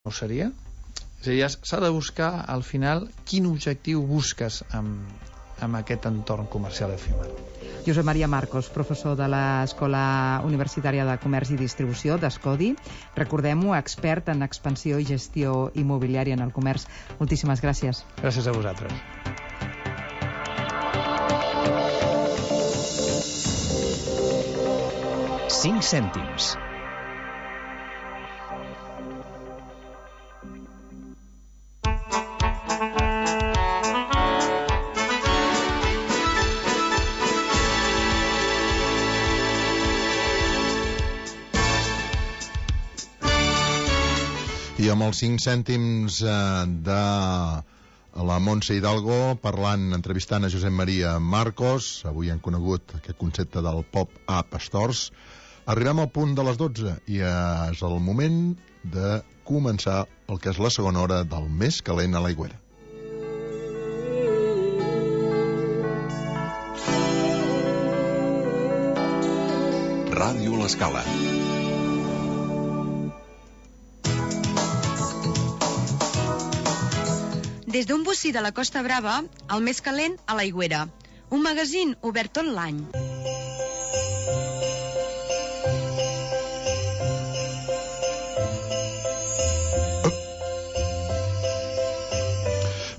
no ho seria? És a dir, s'ha de buscar al final quin objectiu busques amb aquest entorn comercial efímer. Josep Maria Marcos, professor de l'Escola Universitària de Comerç i Distribució d'Escodi, recordem-ho, expert en expansió i gestió immobiliària en el comerç. Moltíssimes gràcies. Gràcies a vosaltres. Cinc cèntims. I amb els 5 cèntims de la Montse Hidalgo entrevistant a Josep Maria Marcos, avui han conegut aquest concepte del pop-up stores, arribem al punt de les 12 i és el moment de començar el que és la segona hora del Més calent a l'Aigüera. Ràdio L'Escala. Des d'un bocí de la Costa Brava, el Més calent a l'Aigüera. Un magazín obert tot l'any.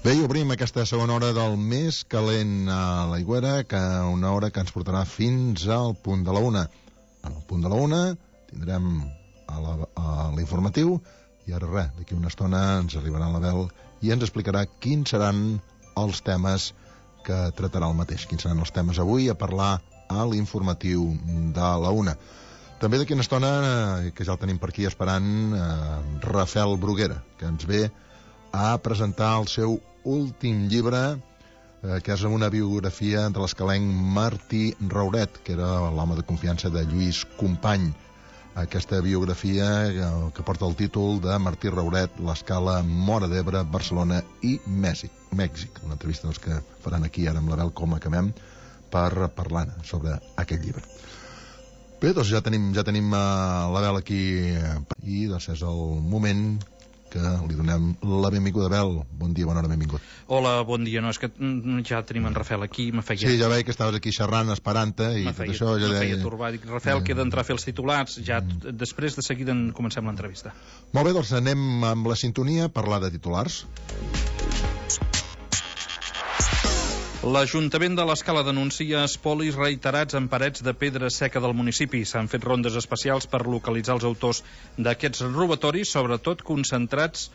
Bé, i obrim aquesta segona hora del Més calent a l'Aigüera, una hora que ens portarà fins al punt de la 1. En el punt de la 1 tindrem a l'informatiu i ara res, d'aquí una estona ens arribarà l'Abel i ens explicarà quins seran els temes que tratarà el mateix, quins seran els temes avui a parlar a l'informatiu de la 1. També d'aquí una estona, que ja el tenim per aquí esperant, Rafael Bruguera, que ens ve a presentar el seu últim llibre, que és una biografia de l'escalenc Martí Rauret, que era l'home de confiança de Lluís Company. Aquesta biografia que porta el títol de Martí Rauret, l'Escala, Móra d'Ebre, Barcelona i Mèxic. Una entrevista que faran aquí ara amb l'Abel com acabem per parlar sobre aquest llibre. Bé, doncs ja tenim l'Abel aquí i doncs és el moment que li donem la benvinguda. Abel, bon dia, bona hora, benvingut. Hola, bon dia. No, és que ja tenim en Rafael aquí. Sí, ja veig que estaves aquí xerrant, esperant-te, i tot això... Me feia turbar. Dic, Rafael, queda entrar a fer els titulars, ja després de seguida comencem l'entrevista. Molt bé, doncs anem amb la sintonia a parlar de titulars. L'Ajuntament de l'Escala denuncia espolis reiterats en parets de pedra seca del municipi. S'han fet rondes especials per localitzar els autors d'aquests robatoris, sobretot concentrats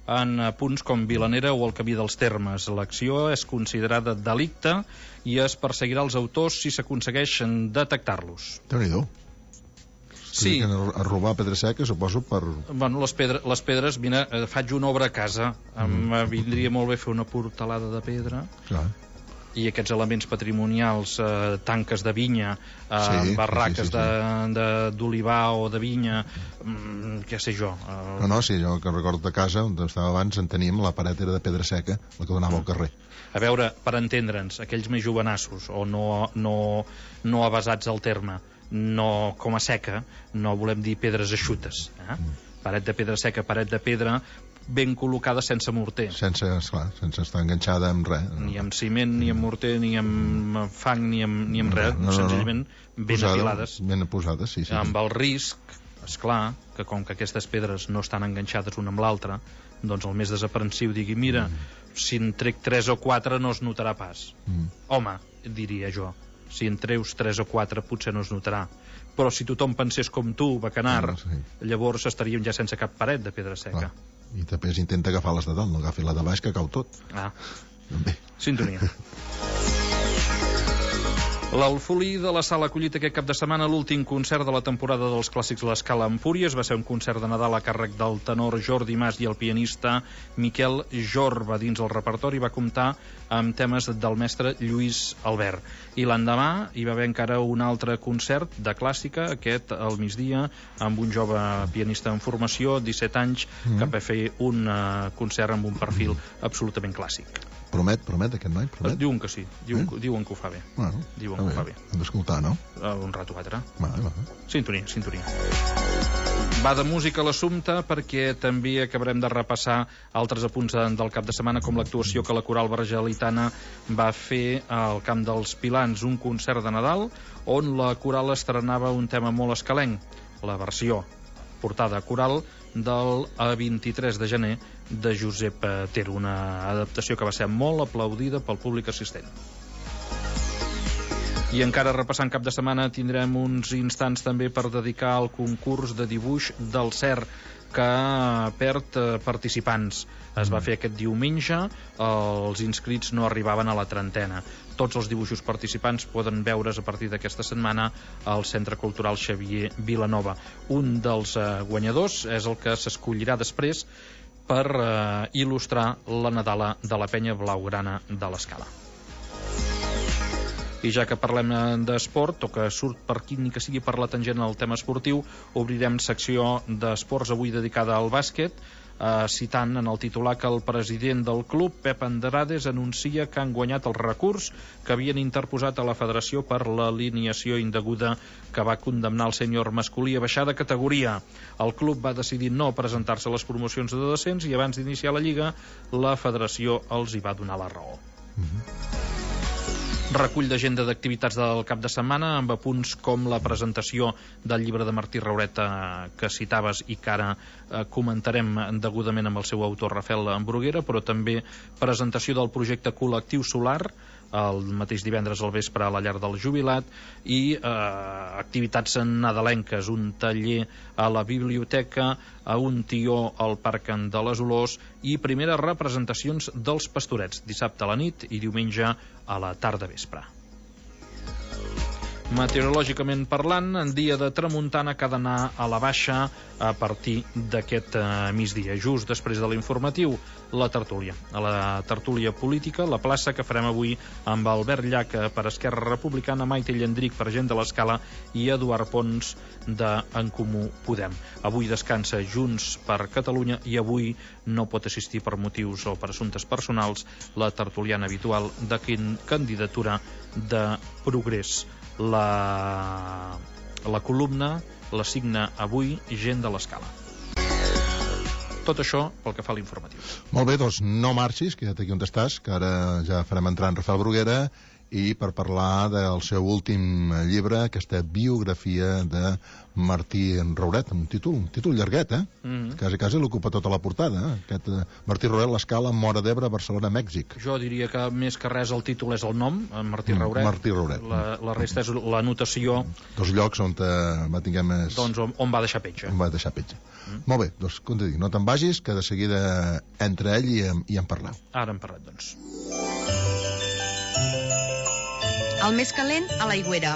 en punts com Vilanera o el Camí dels Termes. L'acció és considerada delicte i es perseguirà els autors si s'aconsegueixen detectar-los. Déu-n'hi-do. Sí. A robar pedra seca, suposo, per... Bueno, les pedres, mira, faig una obra a casa. Em vindria molt bé fer una portalada de pedra. Clar. I aquests elements patrimonials, tanques de vinya, barraques d'olivar o de vinya, què sé jo. Sí, jo que recordo de casa on estava abans en teníem, la paret era de pedra seca, la que donava al carrer. A veure, per entendre'ns, aquells més jovenassos o no avasats al terme, no com a seca, no volem dir pedres eixutes. Paret de pedra seca, paret de pedra ben col·locada sense morter. Sense estar enganxada amb res. Ni amb ciment, ni amb morter, ni amb fang, ni amb res. Senzillament ben apilades. Ben posades, sí. Amb el risc, esclar, que com que aquestes pedres no estan enganxades una amb l'altra, doncs el més desaprensiu digui, mira, si en trec 3 o 4 no es notarà pas. Home, diria jo, si en treus 3 o 4 potser no es notarà. Però si tothom pensés com tu, bacanar, llavors estaríem ja sense cap paret de pedra seca. I també intenta agafar les de dalt, no agafi la de baix, que cau tot. Bé. Sintonia. L'Alfolí de la Sala ha acollit aquest cap de setmana l'últim concert de la temporada dels clàssics L'Escala Empúries. Va ser un concert de Nadal a càrrec del tenor Jordi Mas i el pianista Miquel Jorba. Dins el repertori va comptar amb temes del mestre Lluís Albert. I l'endemà hi va haver encara un altre concert de clàssica, aquest al migdia, amb un jove pianista en formació, 17 anys, que va fer un concert amb un perfil absolutament clàssic. Promet aquest noi? Promet? Diuen que sí, diuen que ho fa bé. Hem d'escoltar, no? Un rato o altre. Va. Sintonia. Va de música l'assumpte perquè també acabarem de repassar altres apunts del cap de setmana, com l'actuació que la Coral Bargelitana va fer al Camp dels Pilans, un concert de Nadal on la coral estrenava un tema molt escalenc, la versió portada coral del 23 de gener de Josep Ter, una adaptació que va ser molt aplaudida pel públic assistent. I encara repassant cap de setmana tindrem uns instants també per dedicar al concurs de dibuix del CER, que perd participants. Es va fer aquest diumenge, els inscrits no arribaven a la trentena. Tots els dibuixos participants poden veure's a partir d'aquesta setmana al Centre Cultural Xavier Vilanova. Un dels guanyadors és el que s'escollirà després per il·lustrar la Nadala de la Penya Blaugrana de l'Escala. I ja que parlem d'esport, o que surt per aquí ni que sigui per la tangent al tema esportiu, obrirem secció d'esports avui dedicada al bàsquet, citant en el titular que el president del club, Pep Andrades, anuncia que han guanyat el recurs que havien interposat a la federació per l'alineació indeguda que va condemnar el sènior masculí a baixar de categoria. El club va decidir no presentar-se a les promocions de descens i abans d'iniciar la lliga la federació els hi va donar la raó. Recull d'agenda d'activitats del cap de setmana amb apunts com la presentació del llibre de Martí Rauret que citaves i que ara comentarem degudament amb el seu autor Rafael Bruguera, però també presentació del projecte col·lectiu Solar el mateix divendres al vespre a la llar del jubilat i activitats nadalenques, un taller a la biblioteca, a un tió al Parc de les Olors i primeres representacions dels Pastorets dissabte a la nit i diumenge a la tarda vespre. Meteorològicament parlant, en dia de tramuntana que ha d'anar a la baixa a partir d'aquest migdia. Just després de l'informatiu, la tertúlia. A la tertúlia política, la plaça que farem avui amb Albert Llach per Esquerra Republicana, Maite Llendric per Gent de l'Escala i Eduard Pons d'En Comú Podem. Avui descansa Junts per Catalunya i avui no pot assistir per motius o per assumptes personals la tertuliana habitual de candidatura de Progrés. La columna la signa avui Gent de l'Escala. Tot això pel que fa a l'informatiu. Molt bé, doncs no marxis, queda't aquí on estàs, que ara ja farem entrar en Rafael Bruguera i per parlar del seu últim llibre, aquesta biografia de Martí Rauret, un títol llarguet, Quasi l'ocupa tota la portada, Aquest Martí Rauret, l'Escala, Móra d'Ebre, Barcelona, Mèxic. Jo diria que més que res el títol és el nom, Martí Rauret. Martí Rauret. La resta és l'anotació. Dos llocs on va tinguer més... Doncs on va deixar petja. Molt bé, doncs com te dic, no te'n vagis, que de seguida entra ell i en parleu. Ara hem parlat, doncs. El més calent a l'Aigüera.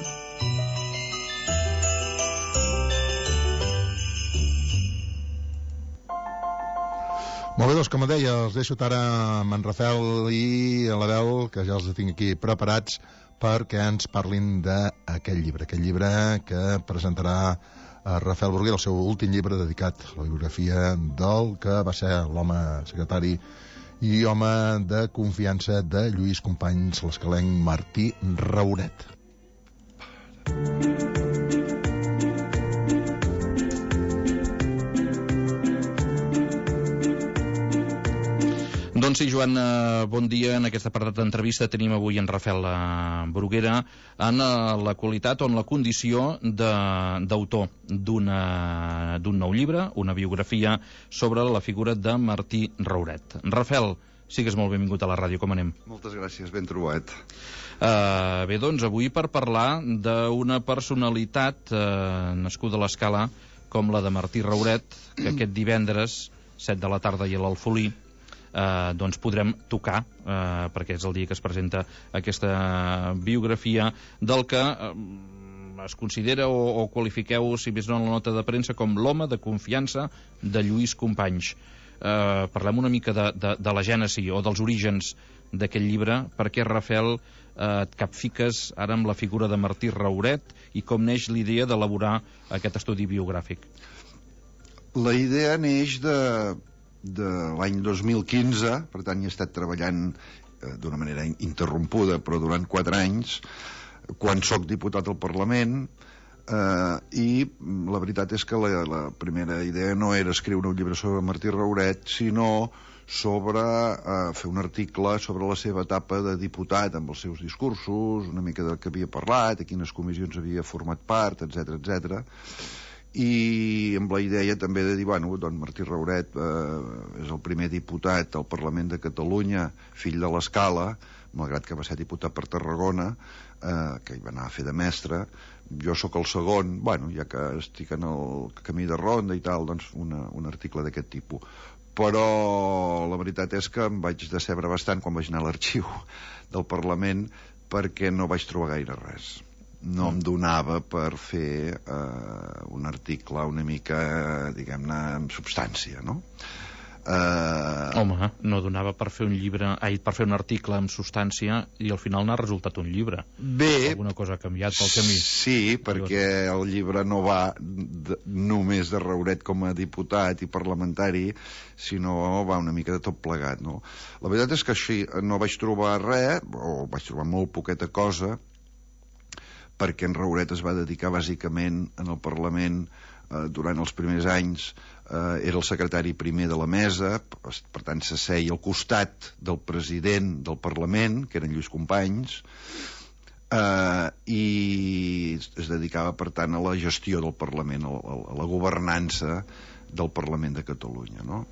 Molt bé, doncs com deia, els deixo ara amb en Rafael i l'Abel, que ja els tinc aquí preparats perquè ens parlin d'aquest llibre que presentarà Rafael Bruguera, el seu últim llibre dedicat a la biografia del que va ser l'home secretari i home de confiança de Lluís Companys, l'escalenc Martí Rauret. Doncs sí, Joan, bon dia. En aquest apartat d'entrevista tenim avui en Rafael Bruguera en la qualitat o en la condició d'autor d'un nou llibre, una biografia sobre la figura de Martí Rauret. Rafael, sigues molt benvingut a la ràdio, com anem? Moltes gràcies, ben trobat. Bé, doncs avui per parlar d'una personalitat nascuda a l'Escala com la de Martí Rauret, que aquest divendres, 7 de la tarda i a l'Alfolí, doncs podrem tocar, perquè és el dia que es presenta aquesta biografia, del que es considera o qualifiqueu, si més no en la nota de premsa, com l'home de confiança de Lluís Companys. Parlem una mica de la gènesi o dels orígens d'aquest llibre. Per què, Rafael, et capfiques ara amb la figura de Martí Rauret i com neix l'idea d'elaborar aquest estudi biogràfic? La idea neix de l'any 2015, per tant hi he estat treballant d'una manera interrompuda, però durant 4 anys, quan sóc diputat al Parlament, I la veritat és que la primera idea no era escriure un llibre sobre Martí Rauret, sinó sobre fer un article sobre la seva etapa de diputat, amb els seus discursos, una mica del que havia parlat, a quines comissions havia format part, etc etc. I amb la idea també de dir, bueno, doncs Martí Rauret és el primer diputat al Parlament de Catalunya, fill de l'Escala, malgrat que va ser diputat per Tarragona, que hi va anar a fer de mestre. Jo sóc el segon, bueno, ja que estic en el camí de ronda i tal, doncs un article d'aquest tipus. Però la veritat és que em vaig decebre bastant quan vaig anar a l'arxiu del Parlament, perquè no vaig trobar gaire res. No em donava per fer un article una mica, diguem-ne, amb substància, no? Home, no donava per fer per fer un article amb substància i al final n'ha resultat un llibre. Bé, alguna cosa ha canviat pel camí. Sí, perquè el llibre no va només de Rauret com a diputat i parlamentari, sinó va una mica de tot plegat, no? La veritat és que així no vaig trobar res, o vaig trobar molt poqueta cosa, perquè en Rauret es va dedicar bàsicament en el Parlament durant els primers anys, era el secretari primer de la mesa, per tant s'asseia al costat del president del Parlament, que era en Lluís Companys, i es dedicava per tant a la gestió del Parlament, a la governança del Parlament de Catalunya, no?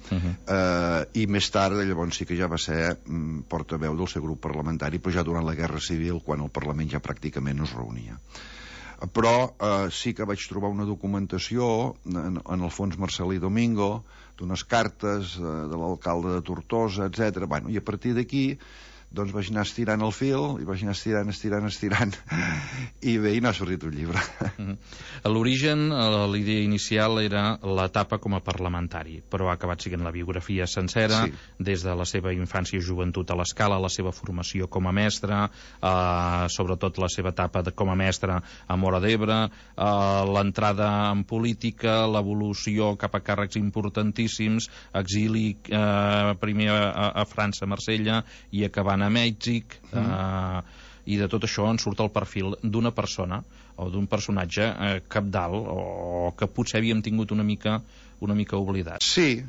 I més tard, llavors sí que ja va ser portaveu del seu grup parlamentari, però ja durant la Guerra Civil, quan el Parlament ja pràcticament no es reunia. Però sí que vaig trobar una documentació en el fons Marcelí Domingo, d'unes cartes de l'alcalde de Tortosa, etc. Bueno, i a partir d'aquí doncs vaig anar estirant el fil i vaig anar estirant i bé, i n'ha sortit un llibre. A l'origen, la idea inicial era l'etapa com a parlamentari, però ha acabat sent la biografia sencera, sí, des de la seva infància i joventut a l'Escala, la seva formació com a mestre, sobretot la seva etapa com a mestre a Móra d'Ebre, l'entrada en política, l'evolució cap a càrrecs importantíssims, exili primer a França, a Marsella, i acabant a Mèxic, i de tot això en surt el perfil d'una persona o d'un personatge cabdal o que potser havíem tingut una mica oblidat. Sí,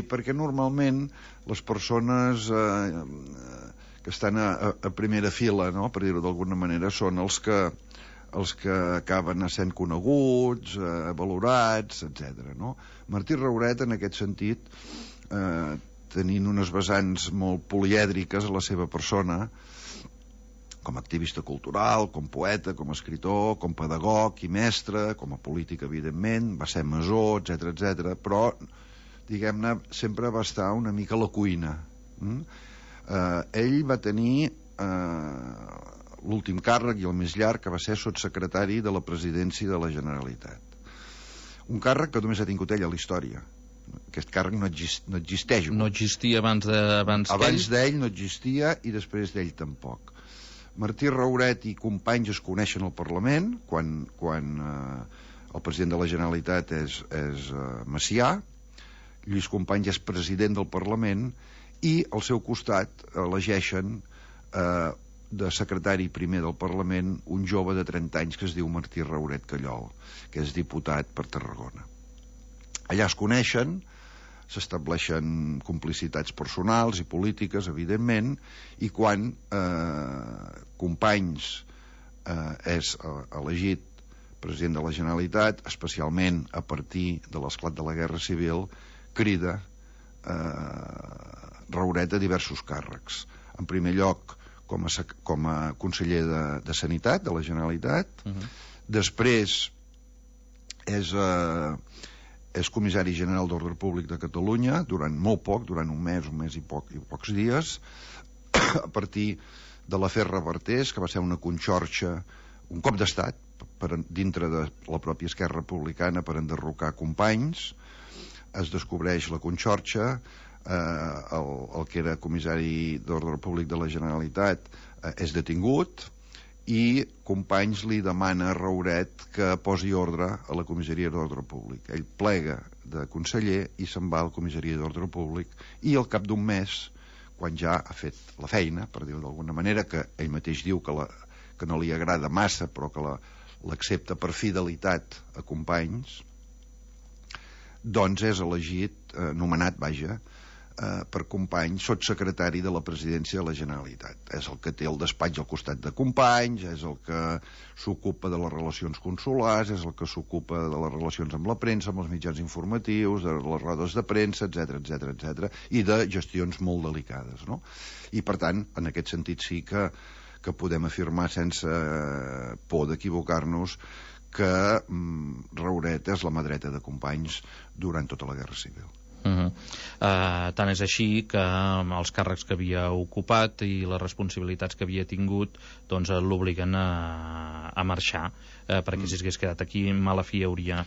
perquè normalment les persones que estan a primera fila, no?, per dir-ho d'alguna manera, són els que acaben sent coneguts, valorats, etc. no? Martí Rauret, en aquest sentit, tenint unes vessants molt polièdriques a la seva persona, com a activista cultural, com poeta, com a escritor, com pedagog i mestre, com a polític, evidentment, va ser masó, etc, però, diguem-ne, sempre va estar una mica a la cuina. Ell va tenir l'últim càrrec i el més llarg, que va ser sotssecretari de la Presidència de la Generalitat. Un càrrec que només ha tingut ell a la història. Aquest càrrec no existeix. No existia abans d'ell no existia, i després d'ell tampoc. Martí Rauret i Companys es coneixen al Parlament quan el president de la Generalitat és Macià. Lluís Companys és president del Parlament, i al seu costat elegeixen de secretari primer del Parlament un jove de 30 anys que es diu Martí Rauret Callol, que és diputat per Tarragona. Allà es coneixen, s'estableixen complicitats personals i polítiques, evidentment, i quan Companys és elegit president de la Generalitat, especialment a partir de l'esclat de la Guerra Civil, crida Rauret a diversos càrrecs. En primer lloc, com a conseller de Sanitat de la Generalitat, després és comissari general d'Ordre Públic de Catalunya durant molt poc, durant un mes i pocs dies, a partir de l'afer Revertés, que va ser una conxorxa, un cop d'estat dintre de la pròpia Esquerra Republicana per enderrocar Companys. Es descobreix la conxorxa, el que era comissari d'Ordre Públic de la Generalitat és detingut, i Companys li demana a Rauret que posi ordre a la comissaria d'Ordre Públic. Ell plega de conseller i se'n va a la comissaria d'Ordre Públic, i al cap d'un mes, quan ja ha fet la feina, per dir-ho d'alguna manera, que ell mateix diu que no li agrada massa, però que l'accepta per fidelitat a Companys, doncs és elegit, nomenat, per Companys, sotssecretari de la presidència de la Generalitat. És el que té el despatx al costat de Companys, és el que s'ocupa de les relacions consulars, és el que s'ocupa de les relacions amb la premsa, amb els mitjans informatius, de les rodes de premsa, etc, i de gestions molt delicades, no? I, per tant, en aquest sentit sí que podem afirmar sense por d'equivocar-nos que Rauret és la mà dreta de Companys durant tota la Guerra Civil. Tant és així que els càrrecs que havia ocupat i les responsabilitats que havia tingut doncs l'obliguen a marxar, perquè si s'hagués quedat aquí mala fi hauria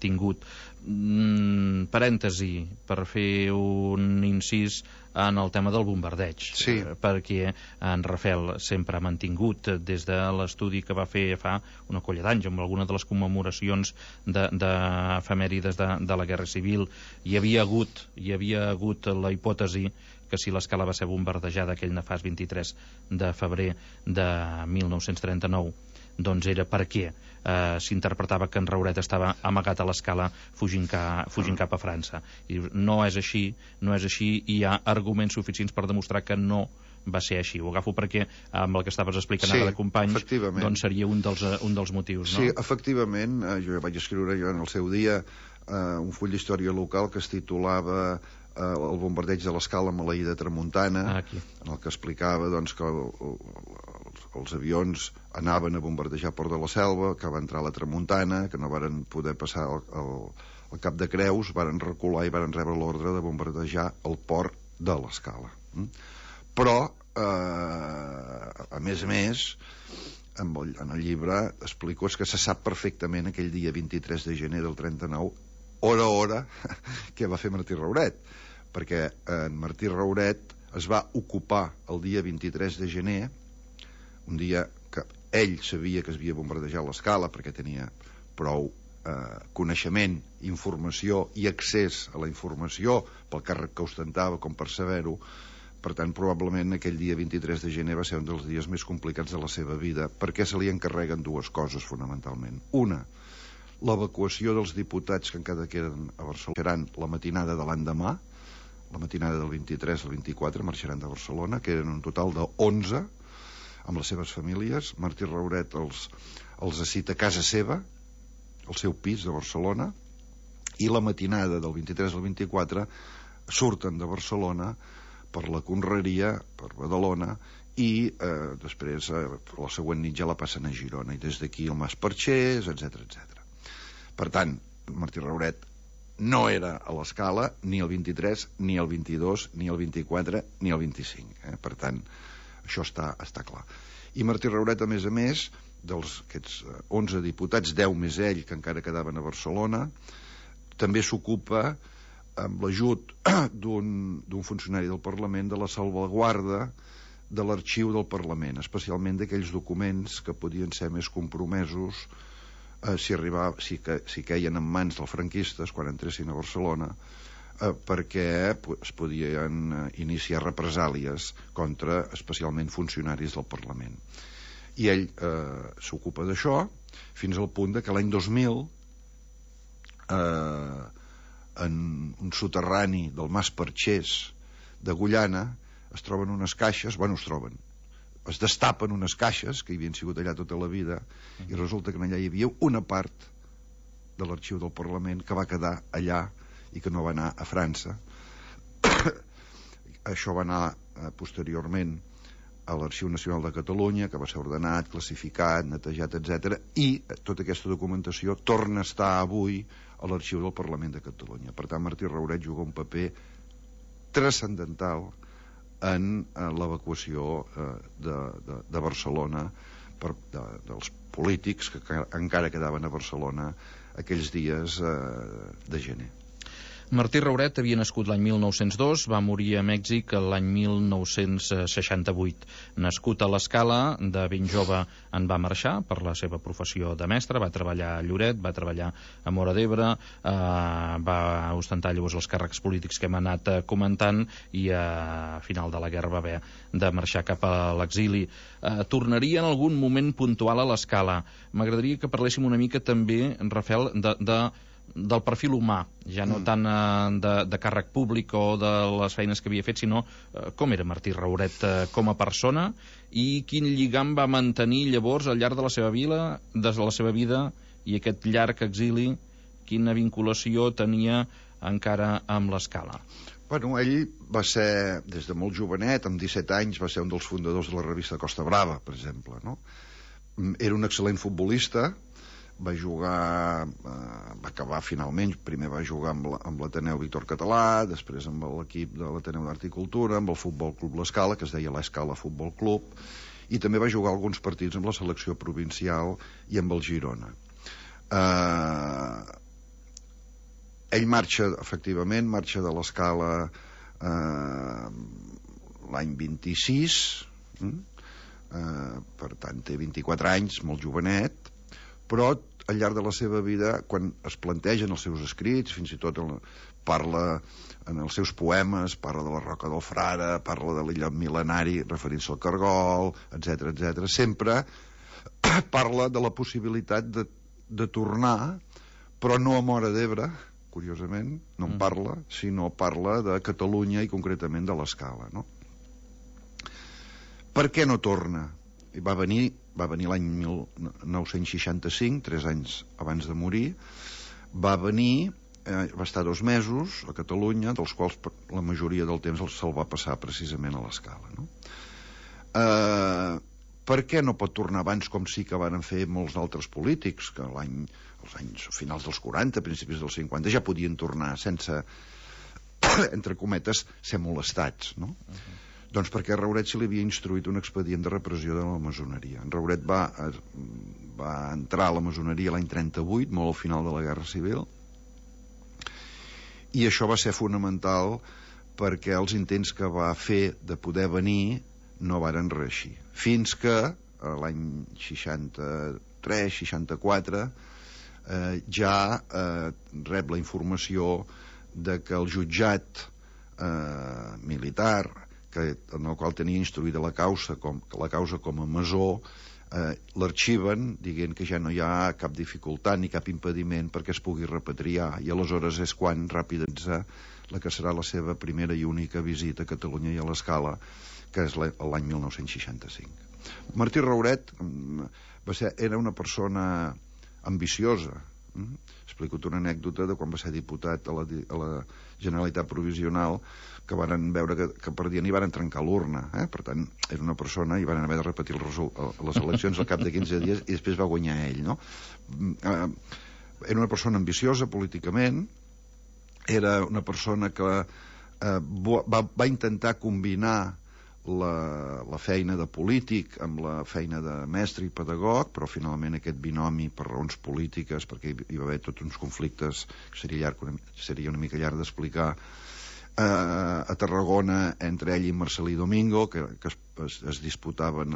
tingut. Parèntesi per fer un incís en el tema del bombardeig, sí. Perquè en Rafel sempre ha mantingut, des de l'estudi que va fer fa una colla d'anys amb alguna de les commemoracions d'efemèrides de la Guerra Civil, hi havia hagut la hipòtesi que si l'escala va ser bombardejada aquell nefast 23 de febrer de 1939, doncs era perquè s'interpretava que en Rauret estava amagat a l'escala fugint cap a França. I no és així, i hi ha arguments suficients per demostrar que no va ser així. Ho agafo perquè amb el que estaves explicant ara de Companys, doncs seria un dels motius, no? Sí, efectivament, jo vaig escriure en el seu dia un full d'història local que es titulava el bombardeig de l'escala a Maleïda Tramuntana, en el que explicava doncs, que els avions anaven a bombardejar Port de la Selva, que va entrar a la Tramuntana, que no varen poder passar el Cap de Creus, varen recular i varen rebre l'ordre de bombardejar el port de l'escala. Però, a més, en el llibre explico que se sap perfectament aquell dia 23 de gener del 39, hora a hora, què va fer Martí Rauret, perquè en Martí Rauret es va ocupar el dia 23 de gener, un dia que ell sabia que es havia bombardejat l'escala perquè tenia prou coneixement, informació i accés a la informació pel càrrec que ostentava com per saber-ho. Per tant, probablement aquell dia 23 de gener va ser un dels dies més complicats de la seva vida, perquè se li encarreguen dues coses fonamentalment. Una, l'evacuació dels diputats que encara queden a Barcelona seran la matinada de l'endemà, la matinada del 23 al 24 marxaran de Barcelona, que eren un total de 11 amb les seves famílies. Martí Rauret els cita a casa seva, al seu pis de Barcelona, i la matinada del 23 al 24 surten de Barcelona per la Conreria, per Badalona, i després la següent nit ja la passen a Girona, i des d'aquí el Mas Perxés, etc. Per tant, Martí Rauret no era a l'escala ni el 23, ni el 22, ni el 24, ni el 25. Per tant, això està clar. I Martí Rauret, a més, d'aquests 11 diputats, 10 més ell, que encara quedaven a Barcelona, també s'ocupa, amb l'ajut d'un funcionari del Parlament, de la salvaguarda de l'arxiu del Parlament, especialment d'aquells documents que podien ser més compromesos si queien en mans dels franquistes quan entressin a Barcelona, perquè es podien iniciar represàlies contra especialment funcionaris del Parlament. I ell s'ocupa d'això fins al punt que l'any 2000 en un soterrani del Mas Perxés de Agullana es troben unes caixes, es destapen unes caixes que hi havien sigut allà tota la vida, i resulta que allà hi havia una part de l'arxiu del Parlament que va quedar allà i que no va anar a França. Això va anar posteriorment a l'Arxiu Nacional de Catalunya, que va ser ordenat, classificat, netejat, etc. I tota aquesta documentació torna a estar avui a l'Arxiu del Parlament de Catalunya. Per tant, Martí Rauret juga un paper transcendental en l'evacuació de Barcelona dels polítics que encara quedaven a Barcelona aquells dies de gener. Martí Rauret havia nascut l'any 1902, va morir a Mèxic l'any 1968. Nascut a l'Escala, de ben jove en va marxar per la seva professió de mestre, va treballar a Lloret, va treballar a Móra d'Ebre, va ostentar llavors els càrrecs polítics que hem anat comentant i a final de la guerra va haver de marxar cap a l'exili. Tornaria en algun moment puntual a l'Escala. M'agradaria que parléssim una mica també, Rafael, del perfil humà, ja no tant de càrrec públic o de les feines que havia fet, sinó com era Martí Rauret com a persona i quin lligam va mantenir llavors al llarg de la seva vida i aquest llarg exili, quina vinculació tenia encara amb l'Escala. Bueno, ell va ser, des de molt jovenet, amb 17 anys, va ser un dels fundadors de la revista Costa Brava, per exemple, no? Era un excel·lent futbolista, va jugar, va acabar finalment, primer va jugar amb l'Ateneu Víctor Català, després amb l'equip de l'Ateneu d'Art i Cultura, amb el Futbol Club l'Escala, que es deia l'Escala Futbol Club, i també va jugar alguns partits amb la selecció provincial i amb el Girona. Ell marxa de l'Escala l'any 26, per tant té 24 anys, molt jovenet, però al llarg de la seva vida, quan es plantegen els seus escrits, fins i tot parla en els seus poemes, parla de la Roca del Frare, parla de l'illot mil·lenari referint-se al Cargol, etc. Sempre parla de la possibilitat de tornar, però no a Móra d'Ebre, curiosament, no en parla, sinó parla de Catalunya i concretament de l'Escala, no? Per què no torna? Va venir l'any 1965, 3 anys abans de morir, va estar 2 mesos a Catalunya, dels quals la majoria del temps se'l va passar precisament a l'Escala, no? Per què no pot tornar abans, com sí que van fer molts altres polítics, que als anys finals dels 40, principis dels 50, ja podien tornar sense, entre cometes, ser molestats, no? Doncs perquè a Rauret se li havia instruït un expedient de repressió de la maçoneria. En Rauret va entrar a la maçoneria l'any 38, molt al final de la Guerra Civil, i això va ser fonamental perquè els intents que va fer de poder venir no varen reeixir. Fins que l'any 63-64 ja rep la informació de que el jutjat militar, en el qual tenia instruïda la causa com a masó, l'arxiven dient que ja no hi ha cap dificultat ni cap impediment perquè es pugui repatriar, i aleshores és quan ràpidament la que serà la seva primera i única visita a Catalunya i a l'Escala, que és l'any 1965. Martí Rauret era una persona ambiciosa. Explico-te una anècdota de quan va ser diputat a la Generalitat Provisional, que varen veure que perdien i varen trencar l'urna. Per tant, era una persona i van haver de repetir les eleccions al cap de 15 dies i després va guanyar ell, no? Era una persona ambiciosa políticament, era una persona que va intentar combinar la feina de polític amb la feina de mestre i pedagog, però finalment aquest binomi, per raons polítiques, perquè hi va haver tots uns conflictes que seria una mica llarg d'explicar, a Tarragona entre ell i Marcelí Domingo, que es disputaven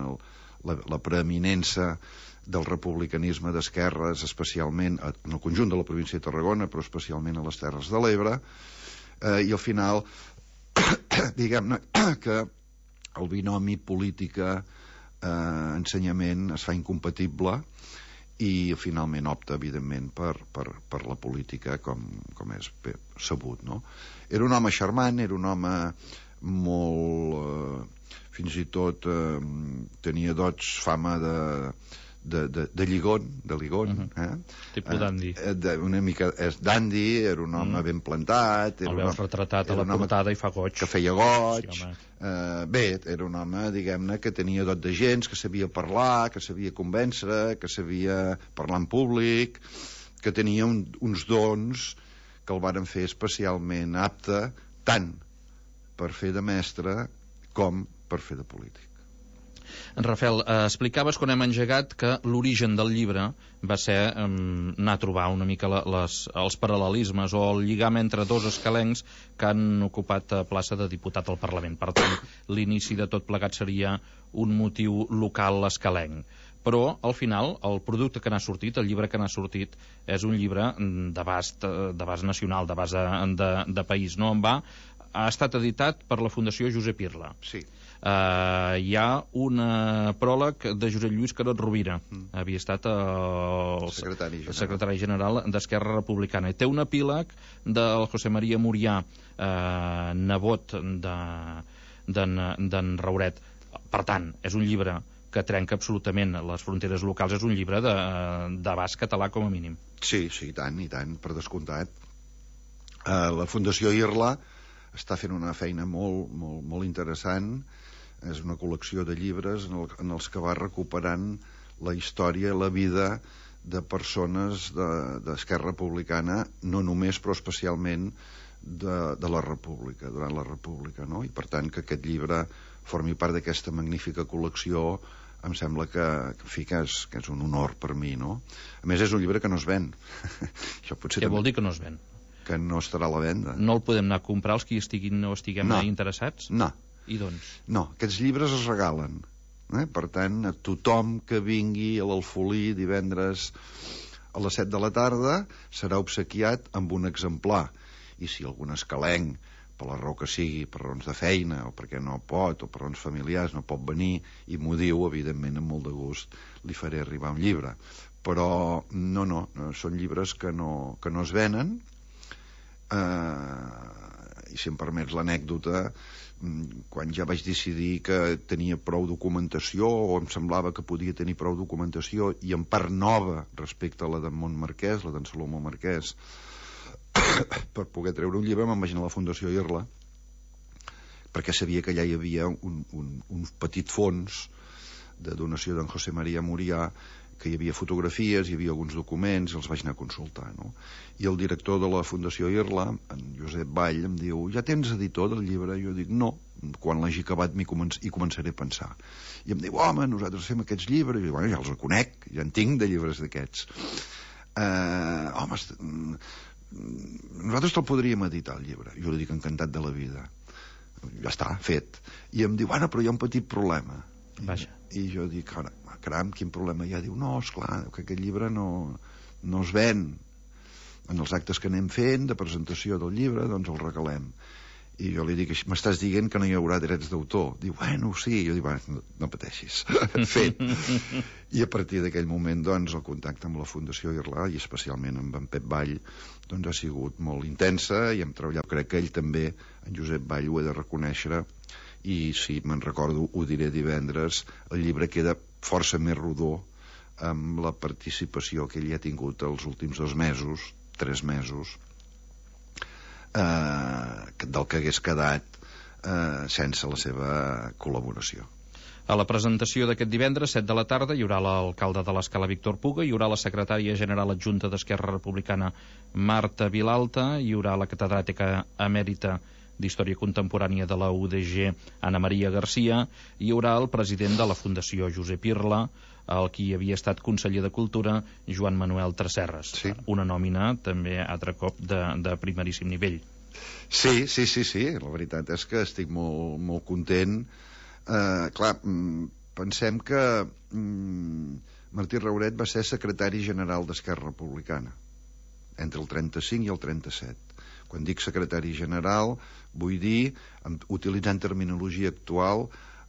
la preeminença del republicanisme d'esquerres, especialment en el conjunt de la província de Tarragona, però especialment a les Terres de l'Ebre, i al final diguem-ne que el binomi política-ensenyament es fa incompatible i finalment opta, evidentment, per la política, com és sabut, no? Era un home charmant, era un home molt... fins i tot tenia fama de ligon, tipus d'andi. Una mica d'andi, era un home ben plantat. El veus retratat a la portada i fa goig. Que feia goig. Sí, bé, era un home, diguem-ne, que tenia dot de gens, que sabia parlar, que sabia convèncer, que sabia parlar en públic, que tenia uns dons que el varen fer especialment apte tant per fer de mestre com per fer de polític. Rafael, explicaves quan hem engegat que l'origen del llibre va ser anar a trobar una mica els paral·lelismes o el lligam entre dos escalencs que han ocupat plaça de diputat al Parlament. Per tant, l'inici de tot plegat seria un motiu local escalenc. Però, al final, el producte que n'ha sortit, el llibre que n'ha sortit, és un llibre d'abast nacional, d'abast de país. No en va? Ha estat editat per la Fundació Josep Irla. Sí. Hi ha un pròleg de Josep Lluís Carot Rovira. Havia estat el secretari general d'Esquerra Republicana. I té un epíleg del José María Murià, nebot d'en Rauret. Per tant, és un llibre que trenca absolutament les fronteres locals, és un llibre d'abast català com a mínim. Sí, i tant, per descomptat. La Fundació Irla està fent una feina molt interessant. És una col·lecció de llibres en els que va recuperant la història, la vida de persones d'Esquerra Republicana, no només, però especialment de la República, durant la República, no? I per tant que aquest llibre formi part d'aquesta magnífica col·lecció em sembla que és un honor per mi, no? A més, és un llibre que no es ven. Què vol dir que no es ven? Que no estarà a la venda. No el podem anar a comprar els que estiguin o estiguem interessats? No. I doncs? No, aquests llibres es regalen. Per tant, a tothom que vingui a l'Alfolí divendres a les 7 de la tarda serà obsequiat amb un exemplar. I si algun escalenc, per la raó que sigui, per raons de feina, o perquè no pot, o per raons familiars, no pot venir, i m'ho diu, evidentment, amb molt de gust, li faré arribar un llibre. Però no, són llibres que no es venen. I si em permets l'anècdota, quan ja vaig decidir que tenia prou documentació, o em semblava que podia tenir prou documentació, i en part nova respecte a la d'en Montmarquès, la d'en Salomó Marquès, per poder treure un llibre, me'n vaig anar a la Fundació Irla, perquè sabia que allà hi havia un petit fons de donació d'en José María Murià, que hi havia fotografies, hi havia alguns documents, i els vaig anar a consultar, no? I el director de la Fundació Irla, en Josep Vall, em diu: ja tens editor del llibre? I jo dic: no, quan l'hagi acabat hi començaré a pensar. I em diu: home, nosaltres fem aquests llibres. I jo dic: bueno, ja els conec, ja en tinc de llibres d'aquests. Home, nosaltres te'l podríem editar, el llibre. Jo li dic: encantat de la vida. Ja està, fet. I em diu: bueno, però hi ha un petit problema. Vaja. I jo dic: caram, quin problema hi ha? Diu: no, esclar, que aquest llibre no es ven. En els actes que anem fent de presentació del llibre, doncs el regalem. I jo li dic: m'estàs dient que no hi haurà drets d'autor? Diu: bueno, sí. Jo dic: bueno, no pateixis. Fet. I a partir d'aquell moment, doncs, el contacte amb la Fundació Irla, i especialment amb en Pep Vall, doncs ha sigut molt intensa, i hem treballat. Crec que ell també, en Josep Vall, ho he de reconèixer, i si me'n recordo ho diré divendres, el llibre queda força més rodó amb la participació que ell ha tingut els últims 3 mesos, del que hagués quedat sense la seva col·laboració. A la presentació d'aquest divendres, 7 de la tarda, hi haurà l'alcalde de l'Escala, Víctor Puga, hi haurà la secretària general adjunta d'Esquerra Republicana, Marta Vilalta, hi haurà la catedràtica emèrita d'Història Contemporània de la UDG, Ana Maria Garcia, i hi haurà el president de la Fundació Josep Irla, el qui havia estat conseller de Cultura, Joan Manuel Tresserras. Sí. Una nòmina també, altre cop, de primeríssim nivell. Sí, la veritat és que estic molt content. Clar, pensem que Martí Rauret va ser secretari general d'Esquerra Republicana entre el 35 i el 37. Quan dic secretari general, vull dir, utilitzant terminologia actual,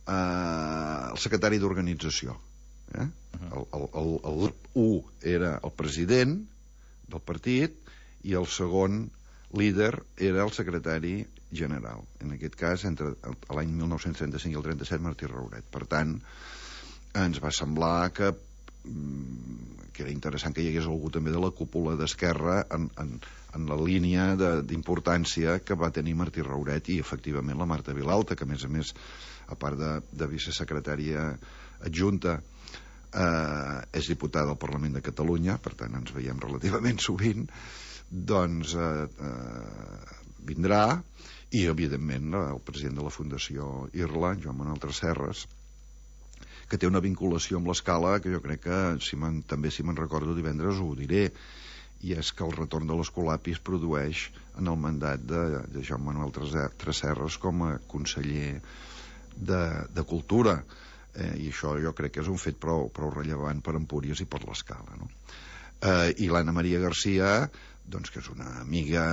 el secretari d'organització. El 1 era el president del partit i el segon líder era el secretari general. En aquest cas, entre l'any 1935 i el 37, Martí Rauret. Per tant, ens va semblar que era interessant que hi hagués algú també de la cúpula d'Esquerra en la línia d'importància que va tenir Martí Rauret i efectivament la Marta Vilalta, que a més a part de vicesecretària adjunta és diputada del Parlament de Catalunya, per tant ens veiem relativament sovint, doncs vindrà, i evidentment el president de la Fundació Irla, Joan Manuel Tresserras, que té una vinculació amb l'Escala, que jo crec que, també si me'n recordo divendres ho diré, i és que el retorn de l'Escolapi es produeix en el mandat de Joan Manuel Tresserras com a conseller de Cultura, i això jo crec que és un fet prou rellevant per Empúries i per l'Escala, no? I l'Anna Maria Garcia, doncs, que és una amiga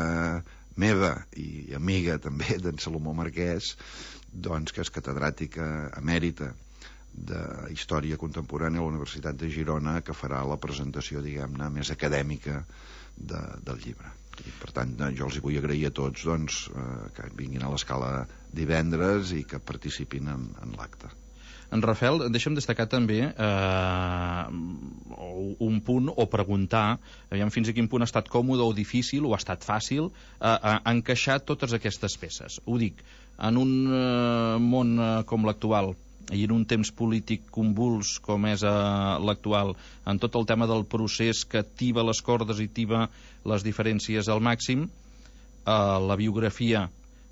meva i amiga també d'en Salomó Marquès, doncs, que és catedràtica emèrita de Història Contemporània a la Universitat de Girona, que farà la presentació, diguem-ne, més acadèmica del llibre. I, per tant, jo els hi vull agrair a tots, doncs, que vinguin a l'Escala divendres i que participin en l'acte. En Rafael, deixa'm destacar també un punt, o preguntar aviam fins a quin punt ha estat còmode o difícil, o ha estat fàcil encaixar totes aquestes peces. Ho dic, en un món com l'actual i en un temps polític convuls com és l'actual, en tot el tema del procés que tiba les cordes i tiba les diferències al màxim, la biografia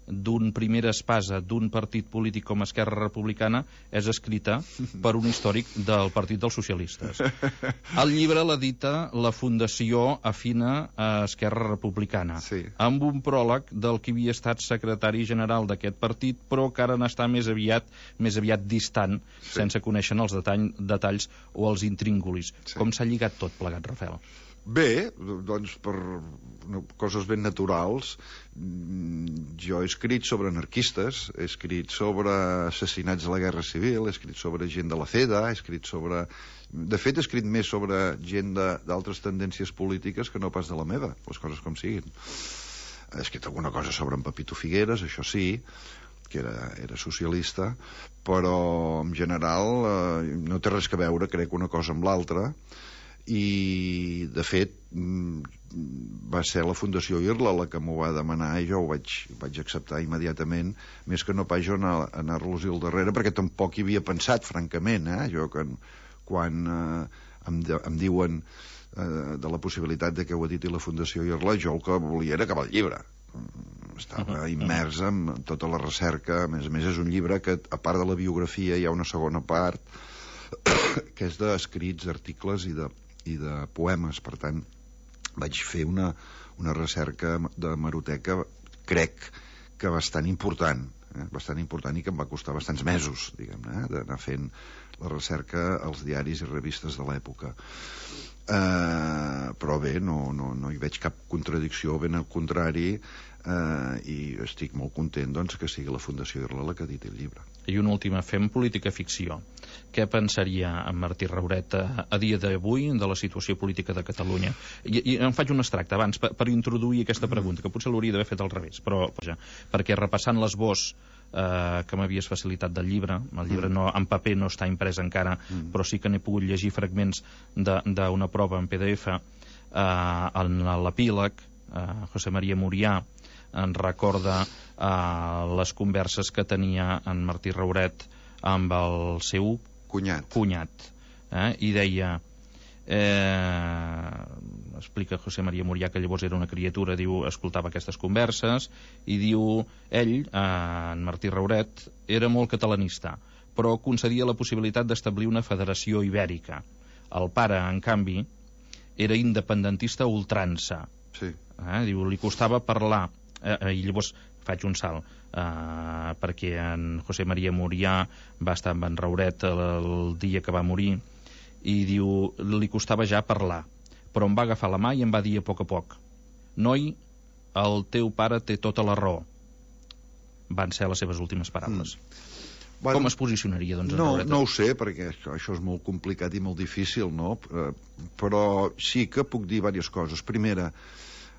d'un primera espasa d'un partit polític com Esquerra Republicana és escrita per un històric del Partit dels Socialistes. El llibre l'edita la Fundació Afina a Esquerra Republicana, sí, amb un pròleg del que havia estat secretari general d'aquest partit, però que ara n'està més aviat distant, sí, sense conèixer els detalls o els intríngulis. Sí. Com s'ha lligat tot plegat, Rafael? Bé, doncs per coses ben naturals. Jo he escrit sobre anarquistes, he escrit sobre assassinats a la Guerra Civil, he escrit sobre gent de la CEDA, he escrit sobre... De fet, he escrit més sobre gent d'altres tendències polítiques que no pas de la meva, les coses com siguin. He escrit alguna cosa sobre en Pepito Figueres, això sí, que era socialista, però en general no té res a veure, crec, una cosa amb l'altra. I de fet va ser la Fundació Irla la que m'ho va demanar i jo ho vaig acceptar immediatament, més que no pas jo anar-los-hi al darrere, perquè tampoc hi havia pensat, francament, jo que quan em diuen de la possibilitat de que ho editi la Fundació Irla, jo el que volia era acabar el llibre. Estava immers en tota la recerca. A més és un llibre que, a part de la biografia, hi ha una segona part que és d'escrits, articles i de poemes. Per tant, vaig fer una recerca de hemeroteca, crec que bastant important, i que em va costar bastants mesos, diguem-ne, d'anar fent la recerca als diaris i revistes de l'època. Però bé, no hi veig cap contradicció, ben al contrari, i estic molt content, doncs, que sigui la Fundació Irla la que editi el llibre. I una última, fem política-ficció. Què pensaria en Martí Rauret a dia d'avui de la situació política de Catalunya? I em faig un extracte abans per introduir aquesta pregunta, que potser l'hauria d'haver fet al revés, però perquè repassant l'esbós que m'havies facilitat del llibre, el llibre en paper no està imprès encara, però sí que n'he pogut llegir fragments d'una prova en PDF, en l'epíleg, José María Murià en recorda les converses que tenia en Martí Rauret amb el seu cunyat, i deia, explica José María Murià que llavors era una criatura, diu, escoltava aquestes converses i diu, ell, en Martí Rauret, era molt catalanista, però concedia la possibilitat d'establir una federació ibèrica. El pare, en canvi, era independentista a ultrança. Sí. Diu, li costava parlar, i llavors faig un salt, perquè en José María Murià va estar amb en Rauret el dia que va morir, i diu, li costava ja parlar, però em va agafar la mà i em va dir a poc, noi, el teu pare té tota la raó. Van ser les seves últimes paraules. Bueno, com es posicionaria, doncs, en Rauret? No ho sé, perquè això és molt complicat i molt difícil, no? Però sí que puc dir diverses coses. Primera,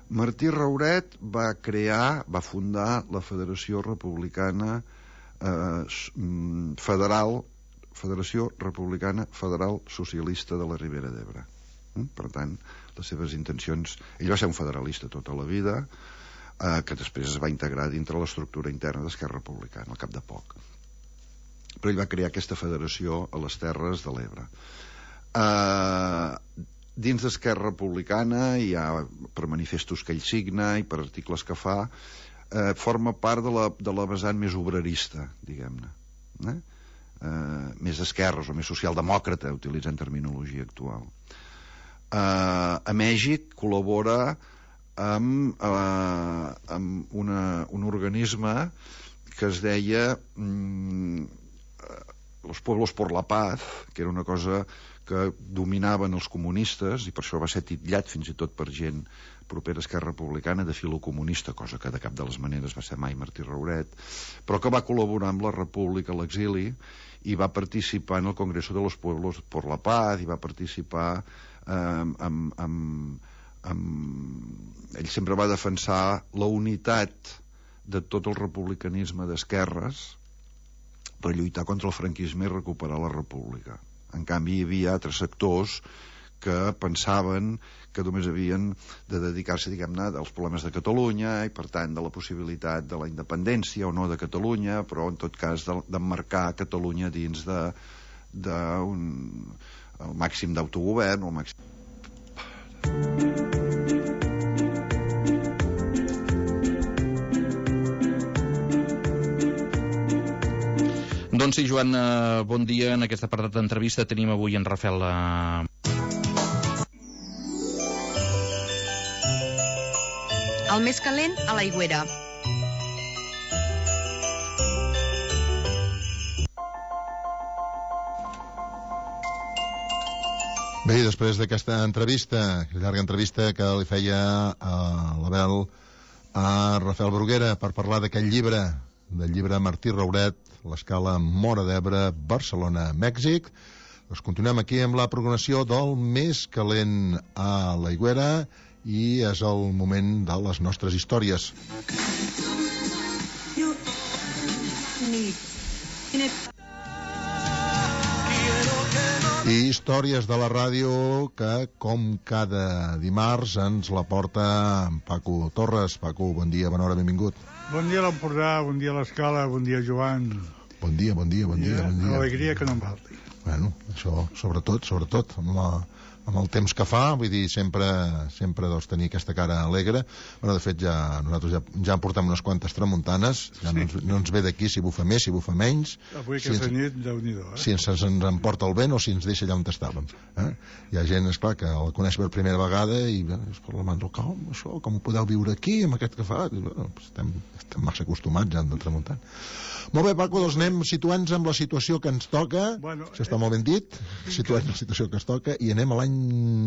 Martí Rauret va fundar la Federació Republicana Federació Republicana Federal Socialista de la Ribera d'Ebre. Per tant, les seves intencions... Ell va ser un federalista tota la vida, que després es va integrar dintre l'estructura interna d'Esquerra Republicana, al cap de poc. Però ell va crear aquesta federació a les Terres de l'Ebre. Dins d'Esquerra Republicana, per manifestos que ell signa i per articles que fa, forma part de la vessant més obrerista, diguem-ne. més d'esquerres o més socialdemòcrata, utilitzant terminologia actual. A Mèxic col·labora amb un organisme que es deia Los Pueblos por la Paz, que era una cosa que dominaven els comunistes, i per això va ser titllat fins i tot per gent propera a Esquerra Republicana de filocomunista, cosa que de cap de les maneres va ser mai Martí Rauret, però que va col·laborar amb la República a l'exili i va participar en el Congreso de los Pueblos por la Paz, i va participar ell sempre va defensar la unitat de tot el republicanisme d'esquerres per lluitar contra el franquisme i recuperar la república. En canvi, hi havia altres sectors que pensaven que només havien de dedicar-se, diguem-ne, als problemes de Catalunya i, per tant, de la possibilitat de la independència o no de Catalunya, però, en tot cas, d'emmarcar Catalunya dins el màxim d'autogovern o el màxim... Doncs sí, Joan, bon dia. En aquest apartat d'entrevista tenim avui en Rafael... El més calent a l'Aigüera. Bé, després d'aquesta entrevista, llarga entrevista que li feia l'Abel a Rafael Bruguera per parlar d'aquest llibre, del llibre Martí Rauret, l'escala Móra d'Ebre, Barcelona, Mèxic. Doncs continuem aquí amb la programació del més calent a l'Aigüera i és el moment de les nostres històries. I històries de la ràdio que, com cada dimarts, ens la porta en Paco Torres. Paco, bon dia, bona hora, benvingut. Bon dia a l'Empordà, bon dia a l'Escala, bon dia, Joan. Bon dia. Alegria que no em falti. Bueno, això, sobretot, amb el temps que fa, vull dir, sempre doncs, tenir aquesta cara alegre. Bueno, de fet, nosaltres ja en portem unes quantes tramuntanes, ja no ens ve d'aquí si bufa més, si bufa menys. Avui aquesta nit, Déu-n'hi-do, si ens emporta el vent o si ens deixa allà on estàvem. Hi ha gent, esclar, que el coneix per primera vegada i es parla amb això, com ho podeu viure aquí, amb aquest que fa? Bueno, estem massa acostumats ja de tramuntant. Molt bé, Paco, doncs anem situant-nos amb la situació que ens toca, això està molt ben dit, situant la situació que ens toca, i anem a l'any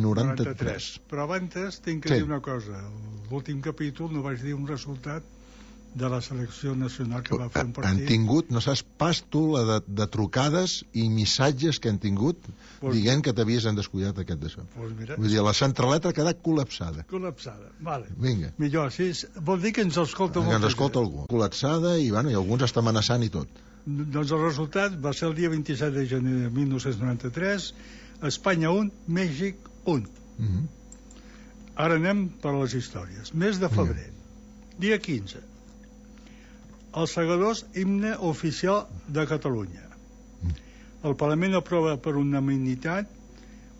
93. Però abans tinc que dir una cosa. L'últim capítol no vaig dir un resultat de la selecció nacional que va fer un partit. Han tingut, no saps pas tu, la de trucades i missatges que han tingut dient que t'havies descuidat aquest d'això. Vull dir, la centraleta ha quedat col·lapsada. Vale. Vinga. Millor, sí, vol dir que ens escolta molt. Que ens escolta algú. Col·lapsada i alguns està amenaçant i tot. Doncs el resultat va ser el dia 27 de gener de 1993, Espanya 1, Mèxic 1. Ara anem per les històries. Mes de febrer, dia 15. Els segadors, himne oficial de Catalunya. El Parlament aprova per unanimitat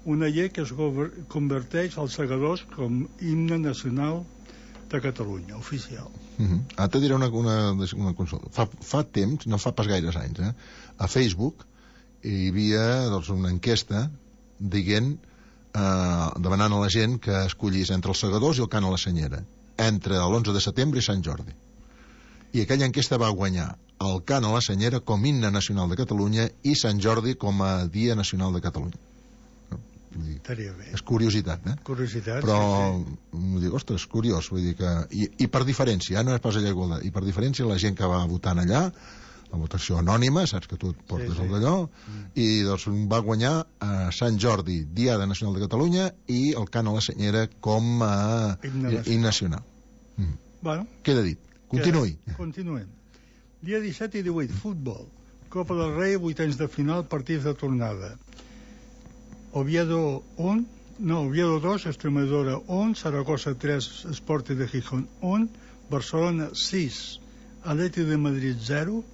una llei que es converteix els segadors com himne nacional de Catalunya, oficial. Ara te diré una consulta. Fa temps, no fa pas gaires anys, a Facebook hi havia una enquesta dient, demanant a la gent que escollís entre els segadors i el cant a la senyera, entre l'11 de setembre i Sant Jordi. I aquella enquesta va guanyar el cant a la senyera com himne nacional de Catalunya i Sant Jordi com a dia nacional de Catalunya. Estaria bé. És curiositat, Curiositat, però, dic, ostres, curiós, vull dir que... I per diferència, no és pas allà igualtat, i per diferència la gent que va votant allà, la votació anònima, saps que tu et portes el d'allò, i doncs va guanyar Sant Jordi, Diada Nacional de Catalunya, i el cant a la senyera com a himne nacional. Bueno. Queda dit. Continuem. Dia 17 i 18, futbol. Copa del Rei, vuitens de final, partits de tornada. Oviedo 2, Extremadura 1, Zaragoza 3, Sporting de Gijón 1, Barcelona 6, Atleti de Madrid 0,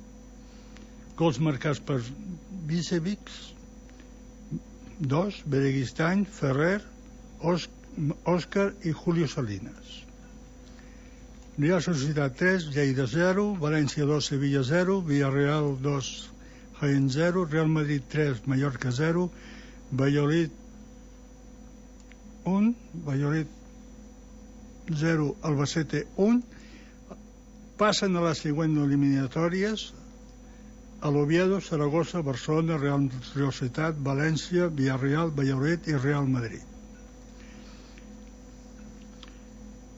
gols marcats per Bicevic 2, Bereguistany, Ferrer, Òscar i Julio Salinas. Real Societat 3, Lleida 0, València 2, Sevilla 0, Villarreal 2, Jaén 0, Real Madrid 3, Mallorca 0, Valladolid 1, Valladolid 0, Albacete 1. Passen a les següents eliminatòries: a l'Oviedo, Saragossa, Barcelona, Real Societat, València, Villarreal, Valladolid i Real Madrid.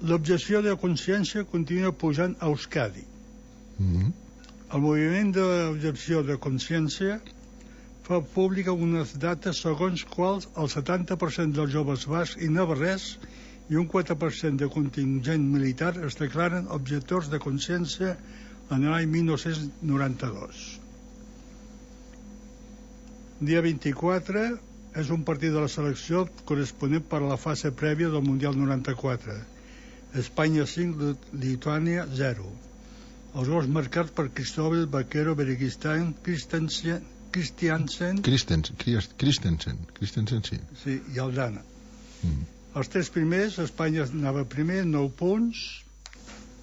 L'objecció de consciència continua pujant a Euskadi. El moviment d'objecció de consciència fa pública unes dates segons quals el 70% dels joves bascs i navarrès i un 4% de contingent militar es declaren objectors de consciència en l'any 1992. Dia 24 és un partit de la selecció corresponent per a la fase prèvia del Mundial 94. Espanya 5, Lituània 0. Els gols marcats per Cristóbal, Vaquero, Bereguistán, Christensen, sí. Sí, i Aldana. Els tres primers, Espanya anava primer, 9 punts,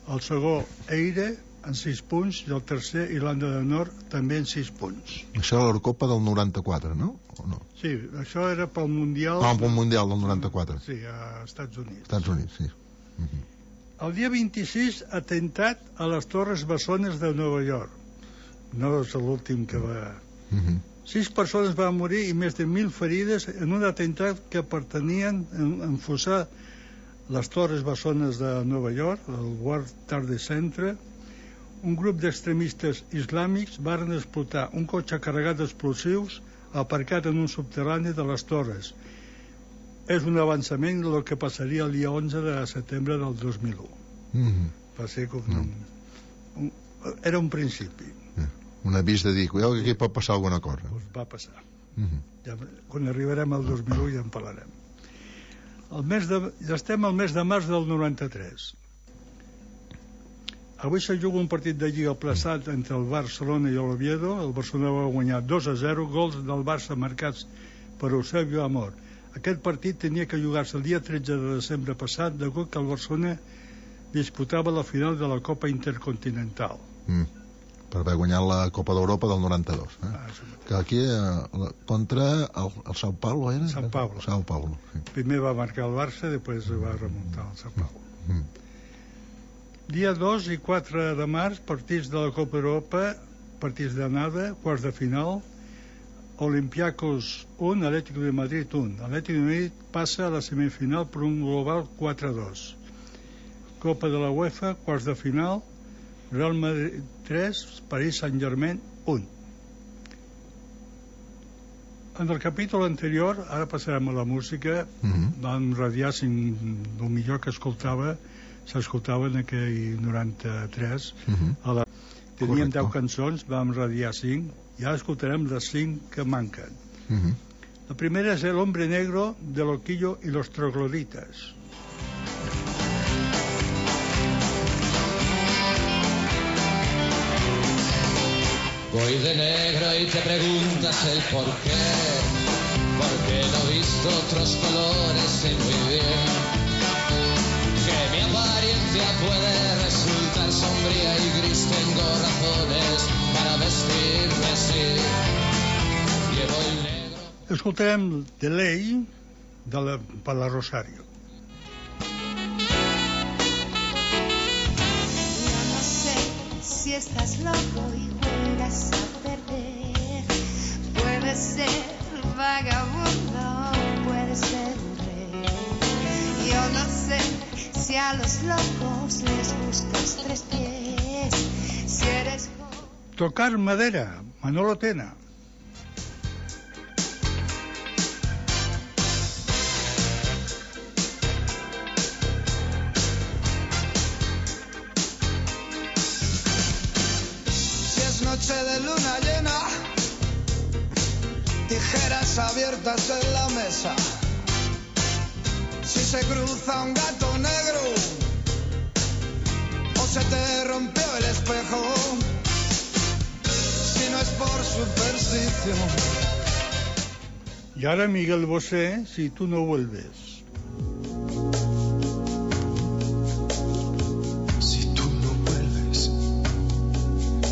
el segon, Eire, en 6 punts, i el tercer, Irlanda del Nord, també en 6 punts. Això era l'Eurocopa del 94, no? O no? Sí, això era pel Mundial... pel Mundial del 94. Sí, a Estats Units. Estats Units, sí. El dia 26, atemptat a les Torres Bessones de Nova York. No és l'últim que va... 6 persones van morir i més de 1.000 ferides en un atemptat que pertanien a enfosar les Torres Bessones de Nova York, el World Trade Center. Un grup d'extremistes islàmics van explotar un cotxe carregat d'explosius aparcat en un subterrani de les Torres. És un avançament del que passaria el dia 11 de setembre del 2001. Va ser com... Era un principi. Un avís de dir, cuidao que aquí pot passar alguna cosa. Pues va passar. Quan arribarem al 2001 ja en parlarem. Ja estem al mes de març del 93. Avui se juga un partit de Lliga plaçat entre el Barcelona i l'Oviedo. El Barcelona va guanyar 2-0, gols del Barça marcats per Eusebio Amor. Aquest partit tenia que jugar-se el dia 13 de desembre passat, degut que el Barcelona disputava la final de la Copa Intercontinental. Per haver guanyat la Copa d'Europa del 92. Que aquí, contra el Sao Paulo, era? Sao Paulo. Sí. Primer va marcar el Barça, després va remuntar el Sao Paulo. Dia 2 i 4 de març, partits de la Copa Europa, partits d'anada, quarts de final. Olympiacos 1, Atlético de Madrid 1. Atlético de Madrid passa a la semifinal per un global 4-2. Copa de la UEFA, quarts de final, Real Madrid 3, Paris Saint-Germain 1. En el capítol anterior, ara passarem a la música, vam radiar el millor que s'escoltava en aquell 93. Teníem 10 cançons, vam radiar 5, i ara escoltarem les 5 que manquen. La primera és El hombre negro de Loquillo y los trogloditas. Voy de negro y te preguntas el por qué, porque no he visto otros colores, sé muy bien que mi apariencia puede resultar sombría y gris. Tengo razones para vestirme así. Llevo el negro. Escoltarem The Ley per la Rosario. Yo no sé si estás loco y juegas a perder. Puedes ser vagabundo, puedes ser un rey. Yo no sé si a los locos les gustas 3 pies. Si eres... Tocar madera, Manolo Tena. Si es noche de luna llena, tijeras abiertas en la mesa. Si se cruza un gato negro o se te rompió el espejo, si no es por superstición. Y ahora Miguel Bosé, Si tú no vuelves. Si tú no vuelves,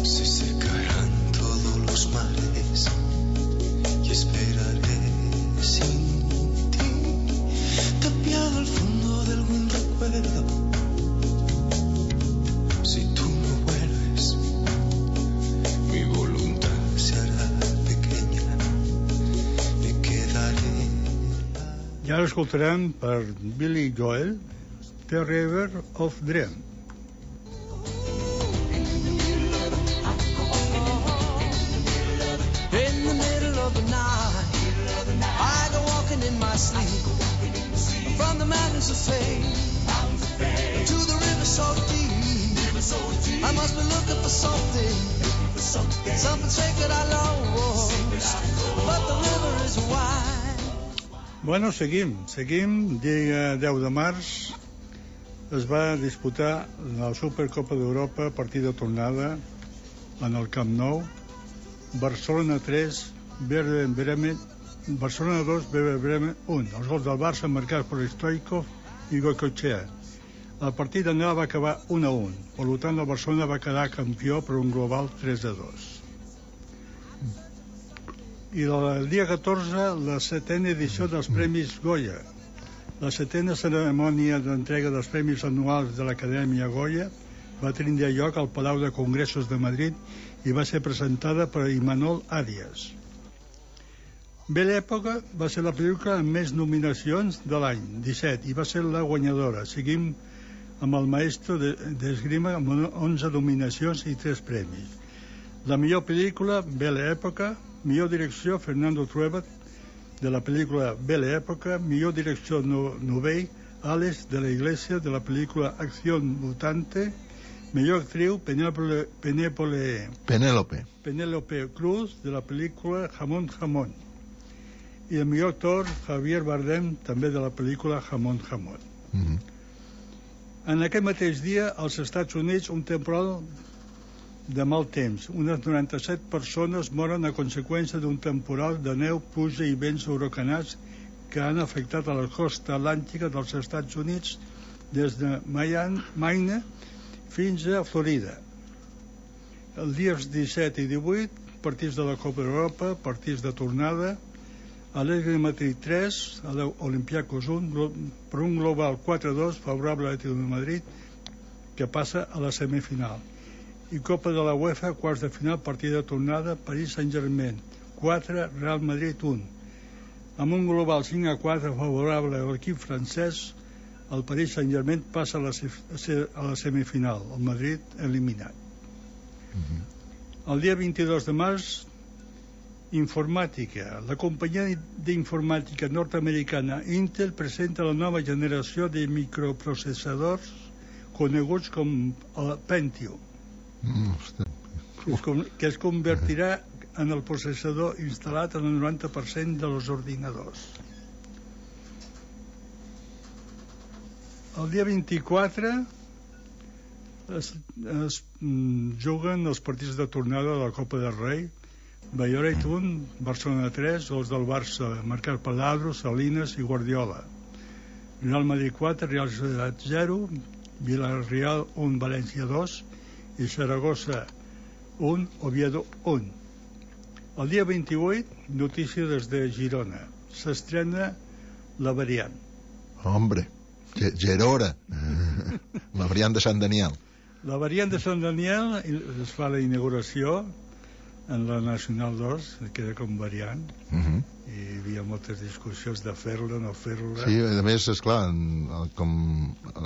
se secarán todos los mares. ara escoltarem per Billy Joel The River of Dream. In the middle of the night, I go walking in my sleep, from the mountains of fame to the river so deep. I must be looking for something sacred I lost, but the river is wide. Bueno, seguim. Dia 10 de març es va disputar la Supercopa d'Europa, partit de tornada en el Camp Nou. Barcelona 3, Barcelona 2, Bremen 1. Els gols del Barça marcats per Stoichkov i Goicoechea. El partit d'anada va acabar 1-1. Per tant, el Barcelona va quedar campió per un global 3-2. I el dia 14, la 7a edició dels Premis Goya. La 7a cerimònia d'entrega dels Premis Anuals de l'Acadèmia Goya va tenir lloc al Palau de Congressos de Madrid i va ser presentada per Imanol Arias. Bella Època va ser la pel·lícula amb més nominacions de l'any, 17, i va ser la guanyadora. Seguim amb El Maestro d'Esgrima amb 11 nominacions i 3 premis. La millor pel·lícula, Bella Època. Millor direcció, Fernando Trueba, de la pel·lícula Bella Època. Millor direcció, Novell, Alex de la Iglesia, de la pel·lícula Acción Mutante. Millor actriu, Penélope Cruz, de la pel·lícula Jamón Jamón. I el millor actor, Javier Bardem, també de la pel·lícula Jamón Jamón. En aquest mateix dia, als Estats Units, un temporal de mal temps. Unes 97 persones moren a conseqüència d'un temporal de neu, pluja i vents huracanats que han afectat a la costa atlàntica dels Estats Units des de Maine fins a Florida. Els dies 17 i 18, partits de la Copa d'Europa, partits de tornada, a l'Atlètic de Madrid 3, a l'Olympiacos 1, per un global 4-2 favorable a l'Atlètic de Madrid, que passa a la semifinal. I Copa de la UEFA, quarts de final, partida de tornada, París Saint-Germain 4, Real Madrid 1. Amb un global 5-4 favorable a l'equip francès, el París Saint-Germain passa a la semifinal, el Madrid eliminat. El dia 22 de març, informàtica. La companyia d'informàtica nord-americana Intel presenta la nova generació de microprocessadors coneguts com el Pentium, que es convertirà en el processador instal·lat en el 90% dels ordinadors. El dia 24 es juguen els partits de tornada de la Copa del Rei. Valladolid 1, Barcelona 3, els del Barça marcat per Ladro, Salinas i Guardiola. Real Madrid 4, Real Sociedad 0, Villarreal 1, València 2 i Saragossa 1, Oviedo 1. El dia 28, notícia des de Girona. S'estrena La Variant. Hombre, Gerora. La Variant de Sant Daniel. La Variant de Sant Daniel es fa la inauguració en la Nacional 2, queda com variant, i hi havia moltes discussions de fer-la, no fer-la. Sí, a més, esclar, com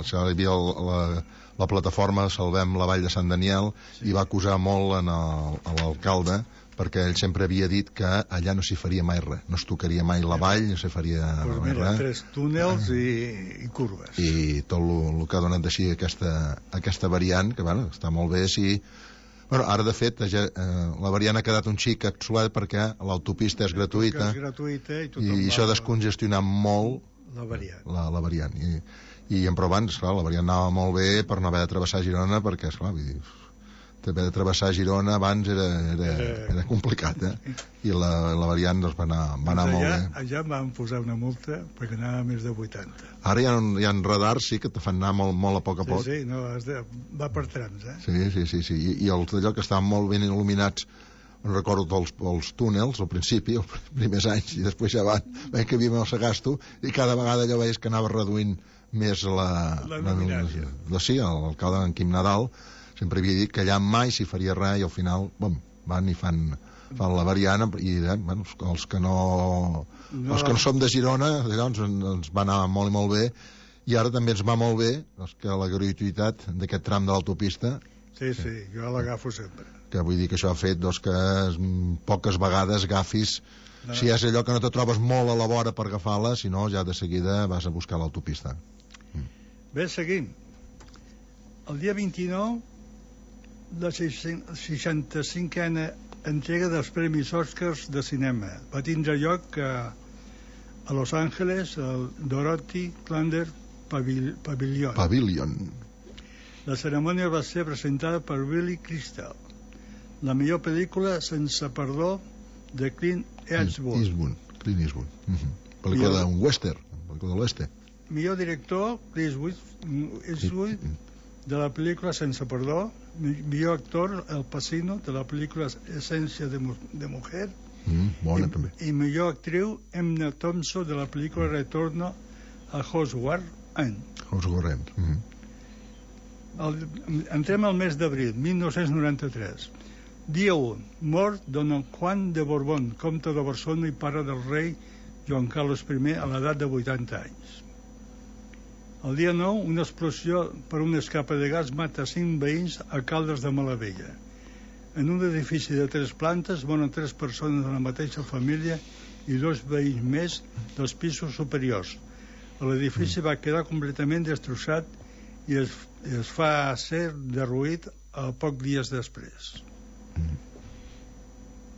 hi havia la plataforma Salvem la Vall de Sant Daniel, i va acusar molt a l'alcalde, perquè ell sempre havia dit que allà no s'hi faria mai res, no es tocaria mai la vall, no s'hi faria mai res. 3 túnels i curves. I tot el que ha donat d'així aquesta variant, que bueno, està molt bé si... Bueno, ara, de fet, la variant ha quedat un xic obsolet perquè l'autopista és gratuïta, i això ha descongestionat molt la variant. Però abans, clar, la variant anava molt bé per no haver de travessar Girona, perquè, esclar, vull dir, haver de travessar Girona abans era complicat, i la variant doncs, va anar molt bé. Allà em van posar una multa perquè anava més de 80. Ara hi ha radars, sí, que te fan anar molt a poc a poc. Sí, no, va per trams, Sí. I els d'allò que estaven molt ben il·luminats, recordo els túnels al principi, els primers anys, i després ja veiem que havia el Sagasto, i cada vegada allò veies que anava reduint més la luminància. Sí, l'alcalde en Quim Nadal sempre havia dit que allà mai s'hi faria res, i al final van i fan fan la variant, i bueno, els que no som de Girona, llavors ens va anar molt i molt bé, i ara també ens va molt bé que la gratuïtat d'aquest tram de l'autopista. Sí, jo l'agafo sempre. Que vull dir que això ha fet que poques vegades agafis, si és allò que no te trobes molt a la vora per agafar-la, si no ja de seguida vas a buscar l'autopista. Bé, seguim. El dia 29, la 65a entrega dels Premis Oscars de cinema va tindre lloc a Los Angeles, al Dorothy Clander Pavilion. La cerimònia va ser presentada per Billy Crystal. La millor pel·lícula Sense perdó de Clint Eastwood. Clint Eastwood. Pel·lícula d'un western, pel·lícula de l'oeste. Millor director Clint Eastwood de la pel·lícula Sense perdó. Millor actor Al Pacino de la pel·lícula Essència de Mujer. Bona també. I millor actriu Emma Thompson de la pel·lícula Retorno a Hogwarts End. Entrem al mes d'abril 1993. Dia 1. Mort Don Juan de Borbón, comte de Barcelona i pare del rei Joan Carles I a l'edat de 80 anys. El dia 9, una explosió per una escapa de gas mata 5 veïns a Caldes de Malavella. En un edifici de 3 plantes moren 3 persones de la mateixa família i 2 veïns més dels pisos superiors. L'edifici va quedar completament destrossat i es fa ser derruït a pocs dies després.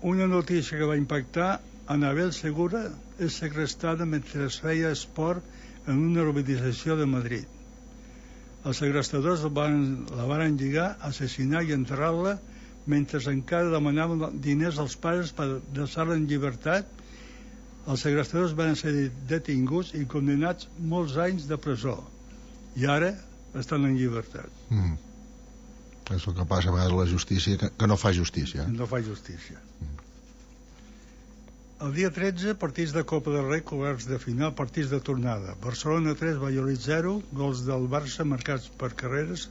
Una notícia que va impactar: Anabel Segura és segrestada mentre es feia esport en una urbanització de Madrid. Els segrestadors la van lligar, assassinar i enterrar-la mentre encara demanaven diners als pares per deixar-la en llibertat. Els segrestadors van ser detinguts i condemnats molts anys de presó i ara estan en llibertat. És el que passa a vegades la justícia, que no fa justícia. No fa justícia. El dia 13, partits de Copa del Rei, quarts de final, partits de tornada. Barcelona 3, Valladolid 0, gols del Barça marcats per Carreras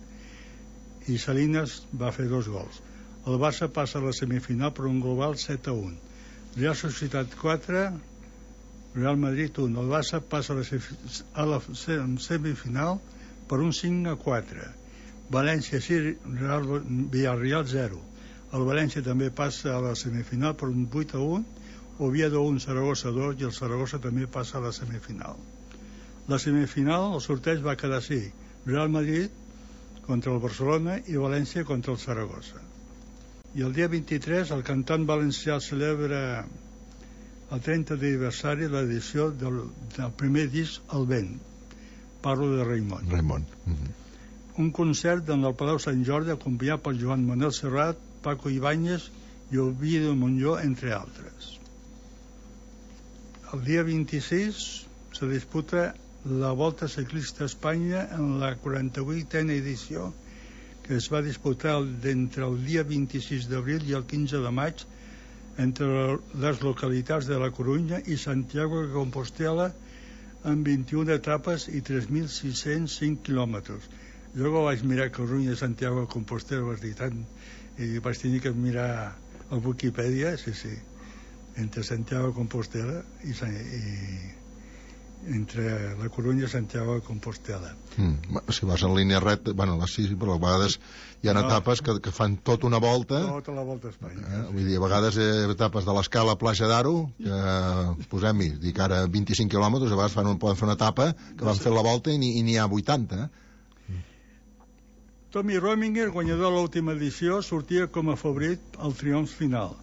i Salinas va fer 2 gols. El Barça passa a la semifinal per un global 7-1. Real Societat 4, Real Madrid 1. El Barça passa a la semifinal per un 5-4. València 6, Villarreal 0. El València també passa a la semifinal per un 8-1. Oviedo 1, Saragossa 2 i el Saragossa també passa a la semifinal. La semifinal, el sorteig va quedar així: Real Madrid contra el Barcelona i València contra el Saragossa. I el dia 23 el cantant valencià celebra el 30 d'aniversari de l'edició del primer disc El Vent. Parlo de Raimon. Un concert en el Palau Sant Jordi acompanyat per Joan Manuel Serrat, Paco Ibáñez i Oviedo Montllor, entre altres. El dia 26 se disputa la Volta Ciclista a Espanya en la 48a edició, que es va disputar entre el dia 26 d'abril i el 15 de maig entre les localitats de la Corunya i Santiago de Compostela, amb 21 etapes i 3.605 quilòmetres. Jo que vaig mirar Corunya i Santiago de Compostela i vaig tenir que mirar a Wikipedia, sí, entre Santiago de Compostela i entre la Corunya i Santiago de Compostela. Si vas en línia recta, sí, però a vegades hi ha etapes que fan tota una volta. Tota la volta a Espanya. Vull dir, a vegades etapes de l'Escala a Platja d'Aro, que posem-hi, dic ara 25 quilòmetres, a vegades poden fer una etapa que van fer la volta i n'hi ha 80. Tommy Rominger, guanyador de l'última edició, sortia com a favorit al triomf final.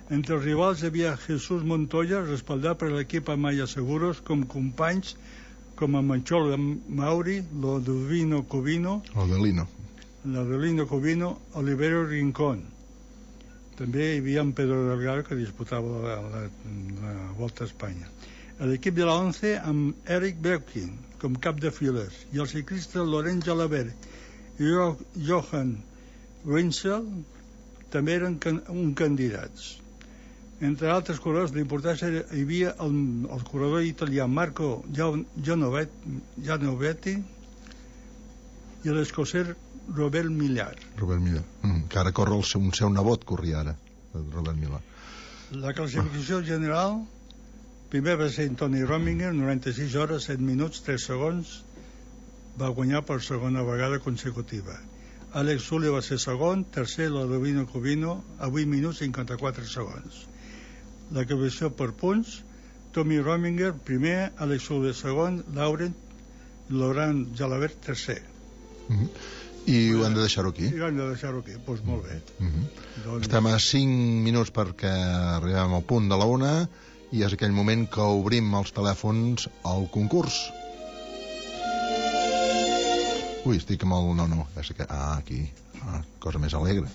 Entre els rivals hi havia Jesús Montoya, respaldat per l'equip Amaya Seguros, com companys com a Manchol Mauri, l'Odelino Covino, Olivero Rincón. També hi havia en Pedro Delgado, que disputava la Volta a Espanya. L'equip de la 11 amb Eric Belkin com cap de files i el ciclista Lorenz Jalabert i Johan Wenzel també eren candidats. Entre altres corredors d'importància hi havia el corredor italià Marco Gianovetti i l'escocès Robert Millar. Que ara corre un seu nebot, corria ara. Robert Milà. La classificació general, primer va ser Tony Rominger, 96 hores, 7 minuts, 3 segons, va guanyar per segona vegada consecutiva. Alex Sully va ser segon, tercer Ludovino Covino, a 8 minuts 54 segons. La classificació per punts, Tommy Rominger, primer, Alex Sully segon, Laurent Jalabert, tercer. I ho hem de deixar-ho aquí? I ho hem de deixar-ho aquí, doncs molt bé. Doncs... Estem a 5 minuts perquè arribem al punt de la 1 i és aquell moment que obrim els telèfons al concurs. Ui, estic amb el... No, és que... aquí. Cosa més alegre.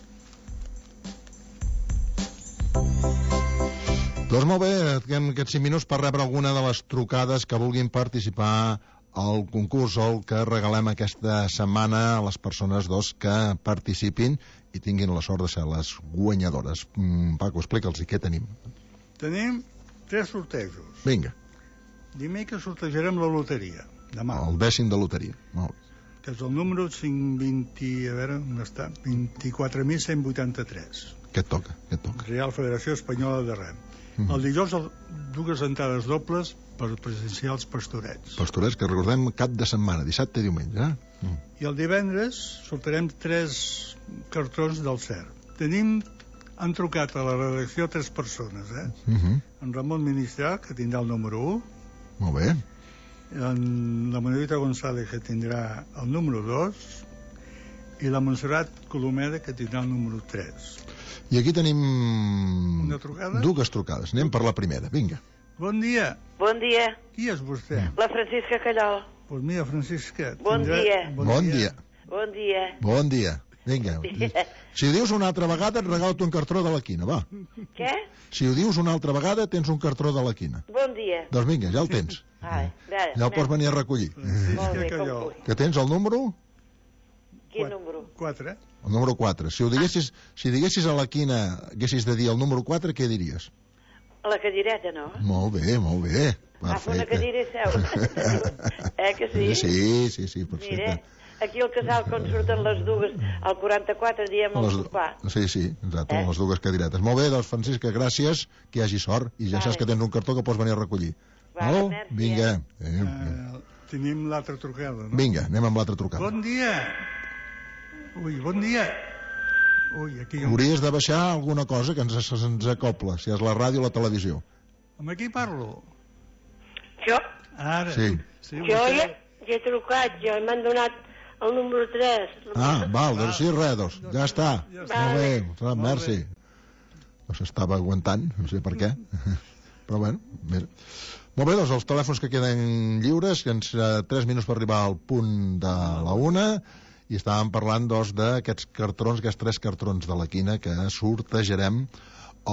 Doncs molt bé, en aquests 5 minuts per rebre alguna de les trucades que vulguin participar al concurs o el que regalem aquesta setmana a les persones que participin i tinguin la sort de ser les guanyadores. Paco, explica'ls què tenim. Tenim 3 sortejos. Vinga. Dimecres sortejarem la loteria, demà. El 10º de loteria, molt bé. Que és el número 520, a veure, on està? 24.183. Què et toca? Real Federació Espanyola de Rem. El dijous, 2 entrades dobles per presenciar els pastorets. Pastorets que recordem cap de setmana, dissabte i diumenge. I el divendres sortarem 3 cartrons del CERP. Han trucat a la redacció 3 persones, En Ramon Ministral, que tindrà el número 1. Molt bé. En la Manuelita González, que tindrà el número 2. I la Montserrat Colomeda, que tindrà el número 3. I aquí tenim... Una trucada? 2 trucades. Anem per la primera, vinga. Bon dia. Bon dia. Qui és vostè? La Francisca Callol. Pues mira, Francisca... Bon dia. Bon dia. Bon dia. Bon dia. Vinga. Si ho dius una altra vegada, et regalo un cartró de la quina, va. Què? Si ho dius una altra vegada, tens un cartró de la quina. Bon dia. Doncs vinga, ja el tens. Ja el pots venir a recollir. Molt bé, com vull. Que tens el número? Quin número? 4. El número 4. Si diguessis a la quina, haguessis de dir el número 4, què diries? A la cadireta, no? Molt bé, molt bé. Perfecte. Una cadira i seu. Que sí? Sí, perfecte. Mira, aquí al casal, quan surten les 2, al 44 diem el sopar. Sí, exacte, les 2 cadiretes. Molt bé, doncs, Francisca, gràcies, que hi hagi sort, i ja saps que tens un cartó que pots venir a recollir. Vinga. Tenim l'altra trucada, no? Vinga, anem amb l'altra trucada. Bon dia. Bon dia. Aquí... Hauries de baixar alguna cosa que ens acopla, si és la ràdio o la televisió. Amb qui parlo? Jo? Ara. Sí. Jo ja he trucat, m'han donat el número 3. Val, doncs sí, res, ja està. Molt bé, merci. No s'estava aguantant, no sé per què. Però bueno, mira. Molt bé, doncs els telèfons que queden lliures, que ens 3 minuts per arribar al punt de la 1, i estàvem parlant d'aquests cartrons, aquests 3 cartrons de la quina que sortejarem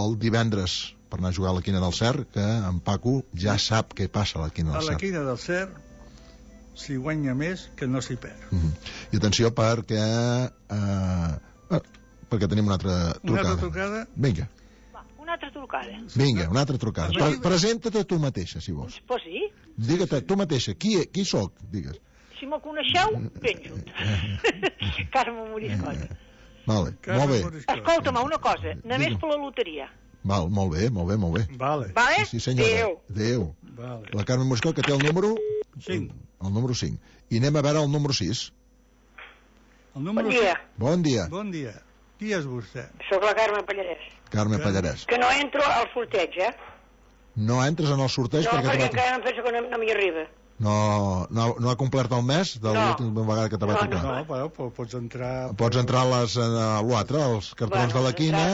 el divendres per anar a jugar a la quina del Cer, que en Paco ja sap què passa a la quina del Cer. A la quina del Cer s'hi guanya més que no s'hi perd. I atenció perquè tenim una altra trucada. Una altra trucada? Vinga. Una altra trucada. Vinga, una altra trucada. Presenta-te tu mateixa, si vols. Pues sí. Digue-te tu mateixa. Qui sóc? Digues. Si me coneixeu, ben junt. Carme Moriscot. Vale, molt bé. Escolta'm, una cosa, només per la loteria. Val, molt bé. Vale. Sí, senyora. Adéu. Vale. La Carme Moriscot, que té el número... 5. El número 5. I anem a veure el número 6. Bon dia. Bon dia. Bon dia. Qui és vostè? Soc la Carme Pallarès. Carme Pallarès. Que no entro al sorteig, No entres en el sorteig perquè encara em penso que no m'hi arriba. No ha complert el mes de l'última vegada que te va tocar. No, però pots entrar... Pots entrar a l'altre, als cartrons de la quina,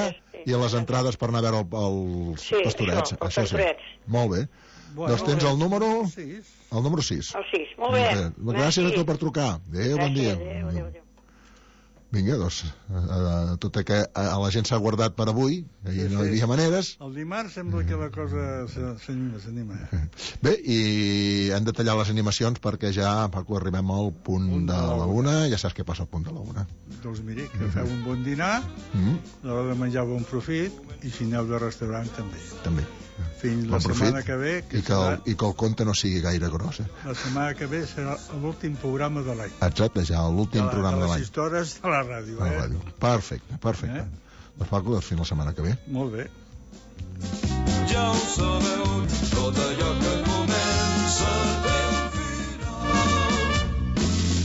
i a les entrades per anar a veure els pastorets. Això sí. Molt bé. Doncs tens el número... El número 6. El 6, molt bé. Gràcies a tu per trucar. Adéu, bon dia. Adéu. Vinga, doncs, tot i que a la gent s'ha guardat per avui, no hi havia maneres. El dimarts sembla que la cosa s'anima. Bé, i hem de tallar les animacions perquè ja, Paco, arribem al punt de la 1, ja saps què passa al punt de la 1. Doncs miri, que feu un bon dinar, l'hora de menjar bon profit, i si aneu de restaurant també. Fins la setmana que ve... I que el conte no sigui gaire gros. La setmana que ve serà l'últim programa de l'any. Exacte, ja l'últim programa de l'any. De les històries de la ràdio. Perfecte. Doncs Paco, fins la setmana que ve. Molt bé. Ja ho sabeu, tot allò que comença té un final.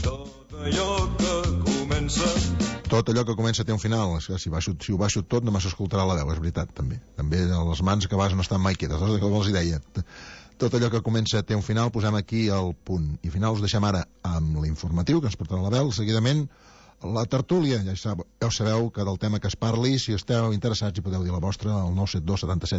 Tot allò que comença... Tot allò que comença té un final. Si ho baixo tot només s'escoltarà la veu, és veritat, també. També les mans que vas no estan mai quietes, que els hi deia. Tot allò que comença té un final, posem aquí el punt. I final us deixem ara amb l'informatiu, que ens portarà la veu, seguidament la tertúlia. Ja sabeu que del tema que es parli, si esteu interessats, hi podeu dir la vostra al 972 77